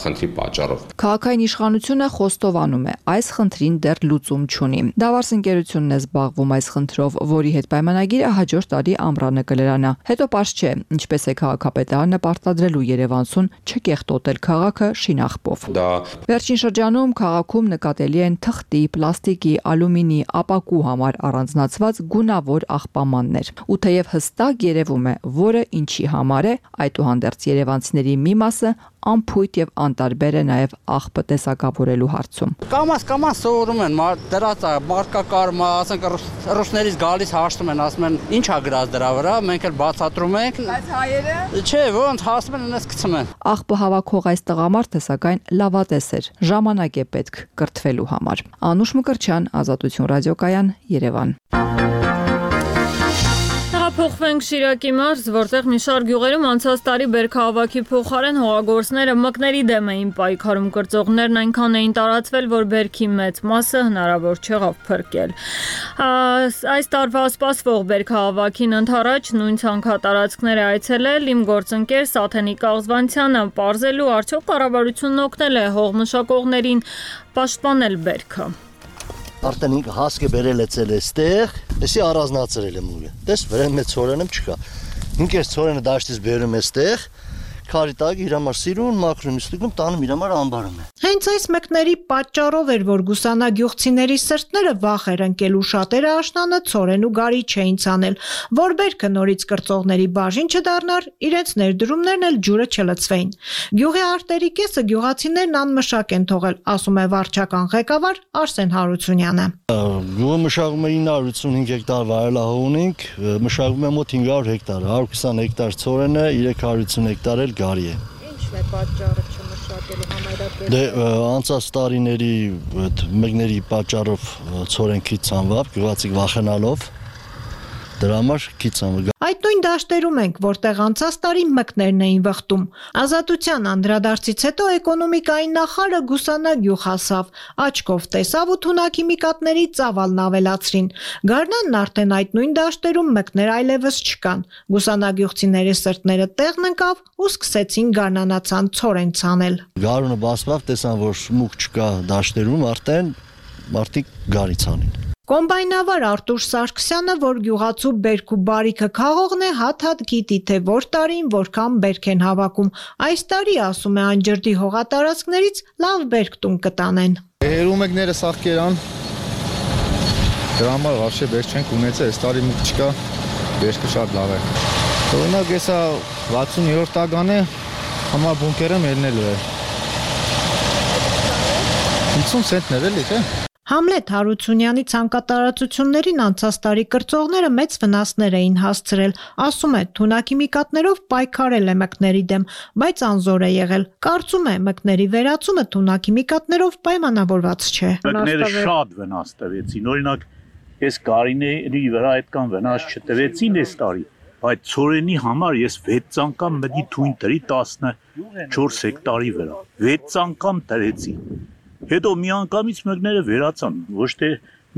խնդրի պատճառով։ Քաղաքային իշխանությունը խոստովանում է, այս խնդրին դեռ լուծում չունի։ Դավարս ընկերությունն է զբաղվում այս խնդրով, որի հետ պայմանագիրը հաջորդ տարի ամռանը կլրանա։ Հետո պարզ չէ, ինչպես է քաղաքապետարանը պարտադրելու Երևանցուն չկեղտոտել քաղաքը շինաղբով։ Վերջին շրջանում քաղաքում նկատելի են թղթի, պլաստիկի, ալումինի, ապակու համար առանձնացված գունավոր աղբամաններ։ Ու թեև հստակ երևում է, որը ինչի համար է, այդուհանդերձ երևանցիների մի մասը անփույթ եւ անտարբեր է նաեւ աղբը տեսակավորելու հարցում։ Կամաս կամաս սովորում են, դրած է մարկակարմա, ասենք ռուսներից գալիս հաշտում են, ասում են ի՞նչ է գրած դրա վրա, մենք էլ բացատրում ենք։ Բայց հայերը։ Չէ, ոնց հասնում են այնպես գցում են։ Աղբը հավաքող այս տղամարդը սակայն լավատես էր, ժամանակ է պետք կրթվելու համար։ Անուշ Մկրտչյան, Ազատություն ռադիոկայան, Երևան։ Փոխվենք Շիրակի մարզ, որտեղ մի շարք գյուղերում անցած տարի բերքահավաքի փոխարեն հողագործները մկների դեմ էին պայքարում, կրծողներն այնքան էին տարածվել, որ բերքի մեծ մասը հնարավոր չեղավ փրկել։ Այս տարվա սպասվող բերքահավաքին ընդառաջ նույն ցանքատարածքները այցելել իմ գործընկեր Սաթենիկ Աղզվանցյանը, պարզելու արդյոք կառավարությունն օգնել է հողմշակողներին պաշտպանել բերքը։ Արդեն ինքը հասկը բերել է ցել էստեղ, էսի առանձնացրել եմ ուղը։ Տես վրան մեծ ծորենը չկա։ Ինքը այս ծորենը դաշտից բերում է էստեղ, քարի տակ իր համար սիրուն մաքրում իստուգում տանում իր համար ամբարում է։ Հենց այս մկների պատճառով էր, որ գուսանագյուղցիների սրտները վախ էր ընկել ու շատերը աշնանը ծորեն ու գարի չէին ցանել, որ բերքը նորից կրծողների բաժին չդառնար, իրենց ներդրումներն էլ ջուրը չլցվեին։ Գյուղի արտերի կեսը գյուղացիներն անմշակ են թողել, ասում է վարչական ղեկավար Արսեն Հարությունյանը։ Գյուղը մշակում է ինը հարյուր ութսունհինգ հեկտար վայելահող ունենք, մշակում է մոտ հինգ հարյուր հեկտար, հարյուր քսան հեկտար ծորեն է, երեք հարյուր ութսուն հեկտար էլ գարի է։ Ինչն է պատճառը չմշակելու համայնքների։ Դե անցած տարիների այդ մկների պատճառով ծորեն քիչ ցանվավ, գյուղացիք վախենալով դրա համար քիչ ցանվավ։ Այդ նույն դաշտերում ենք, որտեղ անցած տարի մկներն էին վխտում։ Ազատության անդրադարձից հետո էկոնոմիկայի նախարարը գուսանագյուղ հասավ, աչքով տեսավ ու թունաքիմիկատների ծավալն ավելացրին։ Գարնանն արդեն այդ նույն դաշտերում մկներ այլևս չկան։ Գուսանագյուղցիների սրտները տեղն ընկավ ու սկսեցին գարնանացան ցորեն ցանել։ Գարունը բացվավ, տեսան, որ մուկ չկա դաշտերում, արդեն մարդիկ գարի ցանին։ Կոմբայնավար Արտուր Սարգսյանը, որ գյուղացու բերք ու բարիքը քաղողն է, հատ-հատ գիտի, թե որ տարին որքան բերք են հավաքում։ Այս տարի, ասում է, այն ջրդի հողատարածքներից լավ բերք տուն կտանեն։ Հերումեկները սաղկերան, դրա համար վարշե բերք չենք ունեցել, այս տարի մուկ չկա, բերքը շատ լավ է։ Օրինակ, եսա վաթսունյոթ տագան է, համա բունկերը մելնելու է։ հիսուն սենտներ էլի, թե։ Համլետ Հարությունյանի ցանկատարածություններին անցած տարի կրծողները մեծ վնասներ էին հասցրել, ասում է, թունաքիմիկատներով պայքարել է մկների դեմ, բայց անզոր է եղել։ Կարծում է, մկների վերացումը թունաքիմիկատներով պայմանավորված չէ։ Մկները շատ վնաս տվեցին, օրինակ, այս գարիների վրա այդքան վնաս չտվեցին այս տարի, բայց ցորենի համար ես վեց անգամ մտի թույն տրի տասնչորս հեկտարի վրա, վեց անգամ տրեցի։ Հետո մի անգամից մկները վերացան, ոչ թե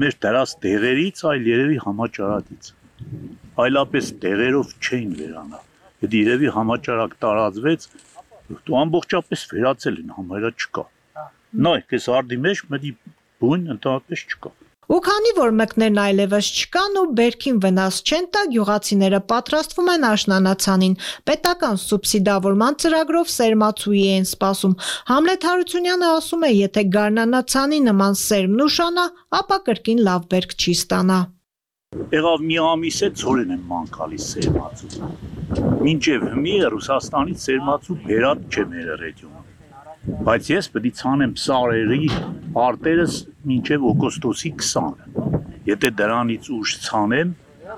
մեր դրած տեղերից, այլ երևի համաճարակից։ Այլապես տեղերով չէին վերանա։ Եթե երևի համաճարակ տարածվեց, դու ամբողջապես վերացել են, համարյա չկա։ Նայեք, այս արդի մեջ մտի բույն ընդհանրապես չկա։ Ու քանի որ մկներն այլևս չկան ու բերքին վնաս չեն տա, գյուղացիները պատրաստվում են աշնանացանին։ Պետական սուբսիդավորման ծրագրով սերմացուի են սպասում։ Համլետ Հարությունյանը ասում է, եթե գարնանացանի նման սերմն ուշանա, ապա կրկին լավ բերք չի ստանա։ Եղավ մի ամիս է ցորեն են մանկալի սերմացու։ Մինչև հիմի Ռուսաստանից սերմացու բերած չէ մեր ռեգիոնում։ Բայց ես պետք է ցանեմ սարերի արտերս մինչև օգոստոսի քսանը։ Եթե դրանից ուշ ցանեմ,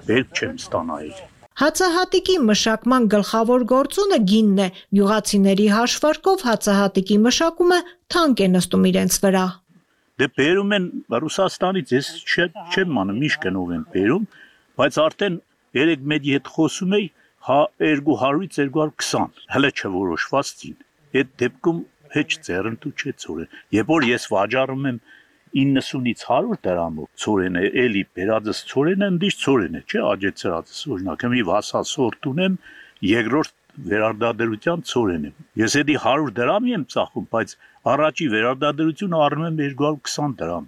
բերք չեմ ստանալ։ Հացահատիկի մշակման գլխավոր գործոնը գինն է։ Գյուղացիների հաշվարկով հացահատիկի մշակումը թանկ է նստում իրենց վրա։ Դե բերում են Ռուսաստանից, ես չեմ անում, միշտ գնով են բերում, բայց արդեն երեք մեդի հետ խոսում էի, հա երկու հարյուրից երկու հարյուր քսան, հələ չորոշված ցին։ Այդ դեպքում հեչ ձեռնտու չէ ցորեն։ Երբ որ ես վաճառում եմ իննսունից հարյուր դրամով ցորենը, էլի բերածս ցորենը ընդիշ ցորեն է, չէ, աջեցրածս, օրինակ, մի վասալ սորտ ունեմ, երկրորդ վերարտադրության ցորեն եմ։ Ես էդի հարյուր դրամի եմ ծախում, բայց առաջի վերարտադրությունը առնում եմ երկու հարյուր քսան դրամ։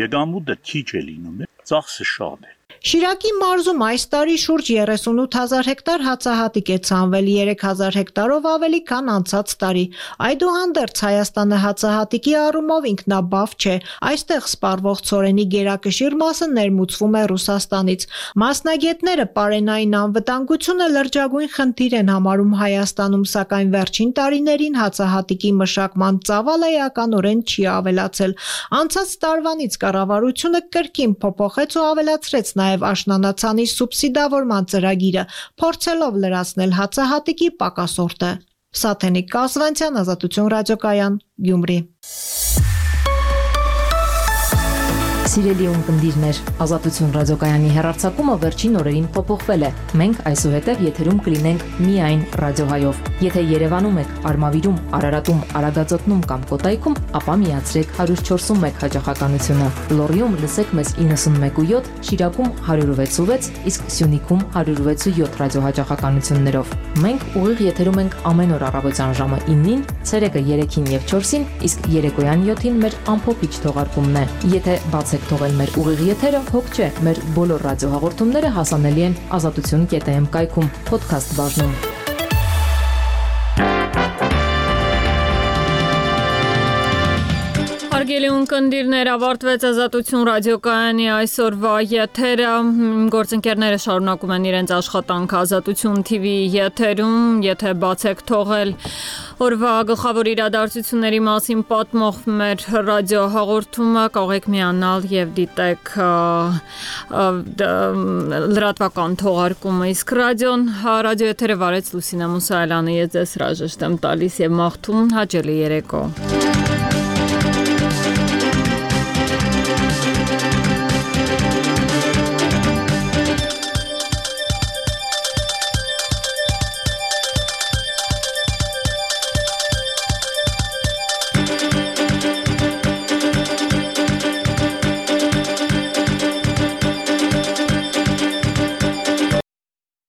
Եկամուտը քիչ է լինում, ծախսը շատ է։ Շիրակի մարզում այս տարի շուրջ երեսունութ հազար հեկտար հացահատիկ է ցանվել, երեք հազար հեկտարով ավելի քան անցած տարի։ Այդուհանդերձ Հայաստանը հացահատիկի առումով ինքնաբավ չէ։ Այստեղ սպառվող ցորենի գերակշիռ մասը ներմուծվում է Ռուսաստանից։ Մասնագետները պարենային անվտանգությունը լրջագույն խնդիր են համարում Հայաստանում, սակայն վերջին տարիներին հացահատիկի մշակման ծավալը էականորեն չի ավելացել։ Անցած տարվանից կառավարությունը կրկին փոփոխեց ու ավելացրեց նաև աշնանացանի սուբսիդավորման ծրագիրը, փորձելով լրացնել հացահատիկի պակասորտը։ Սաթենիկ Կասվանցյան, Ազատություն ռադիոկայան, Գյումրի։ Սիրելի ունկնդիրներ, Ազատություն ռադիոկայանի հեռարձակումը վերջին օրերին փոփոխվել է։ Մենք այսուհետև եթերում կլինենք միայն ռադիոհայով։ Եթե Երևանում եք, Արմավիրում, Արարատում, Արագածոտնում կամ Կոտայքում, ապա միացրեք հարյուր չորսուն մեկ հաճախականությունը։ Լոռիում լսեք մեզ իննսունմեկ ու յոթ, Շիրակում հարյուր վեց ու վեց, իսկ Սյունիքում հարյուր վեց ու յոթ ռադիոհաճախականություններով։ Մենք ուղիղ եթերում ենք ամեն օր առավոտյան ժամը իննին, ցերեկը երեքին եւ չորսին, իսկ երեկոյան յոթին մեր ամփոփիչ թողարկումն է։ Եթե բացեք թողել մեր ուղիղ եթերը, հոգ չէ, մեր բոլոր ռադիոհաղորդումները հասանելի են ազատություն կետ էմ կայքում, podcast բաժնում։ Հարգելի ունկնդիրներ, ավարտվեց Ազատություն ռադիոկայանի այսօրվա եթերը։ Գործընկերները շարունակում են իրենց աշխատանքը Ազատություն թի վի եթերում, եթե բացեք թողել օրվա գլխավոր իրադարձությունների մասին պատմող մեր ռադիոհաղորդումը, կարող եք միանալ եւ դիտեք լրատվական թողարկումը, իսկ ռադիոն ռադիոեթերը վարեց Լուսինե Մուսայելյանը, ես ձեզ հրաժեշտ եմ տալիս եւ մաղթում հաճելի երեկո։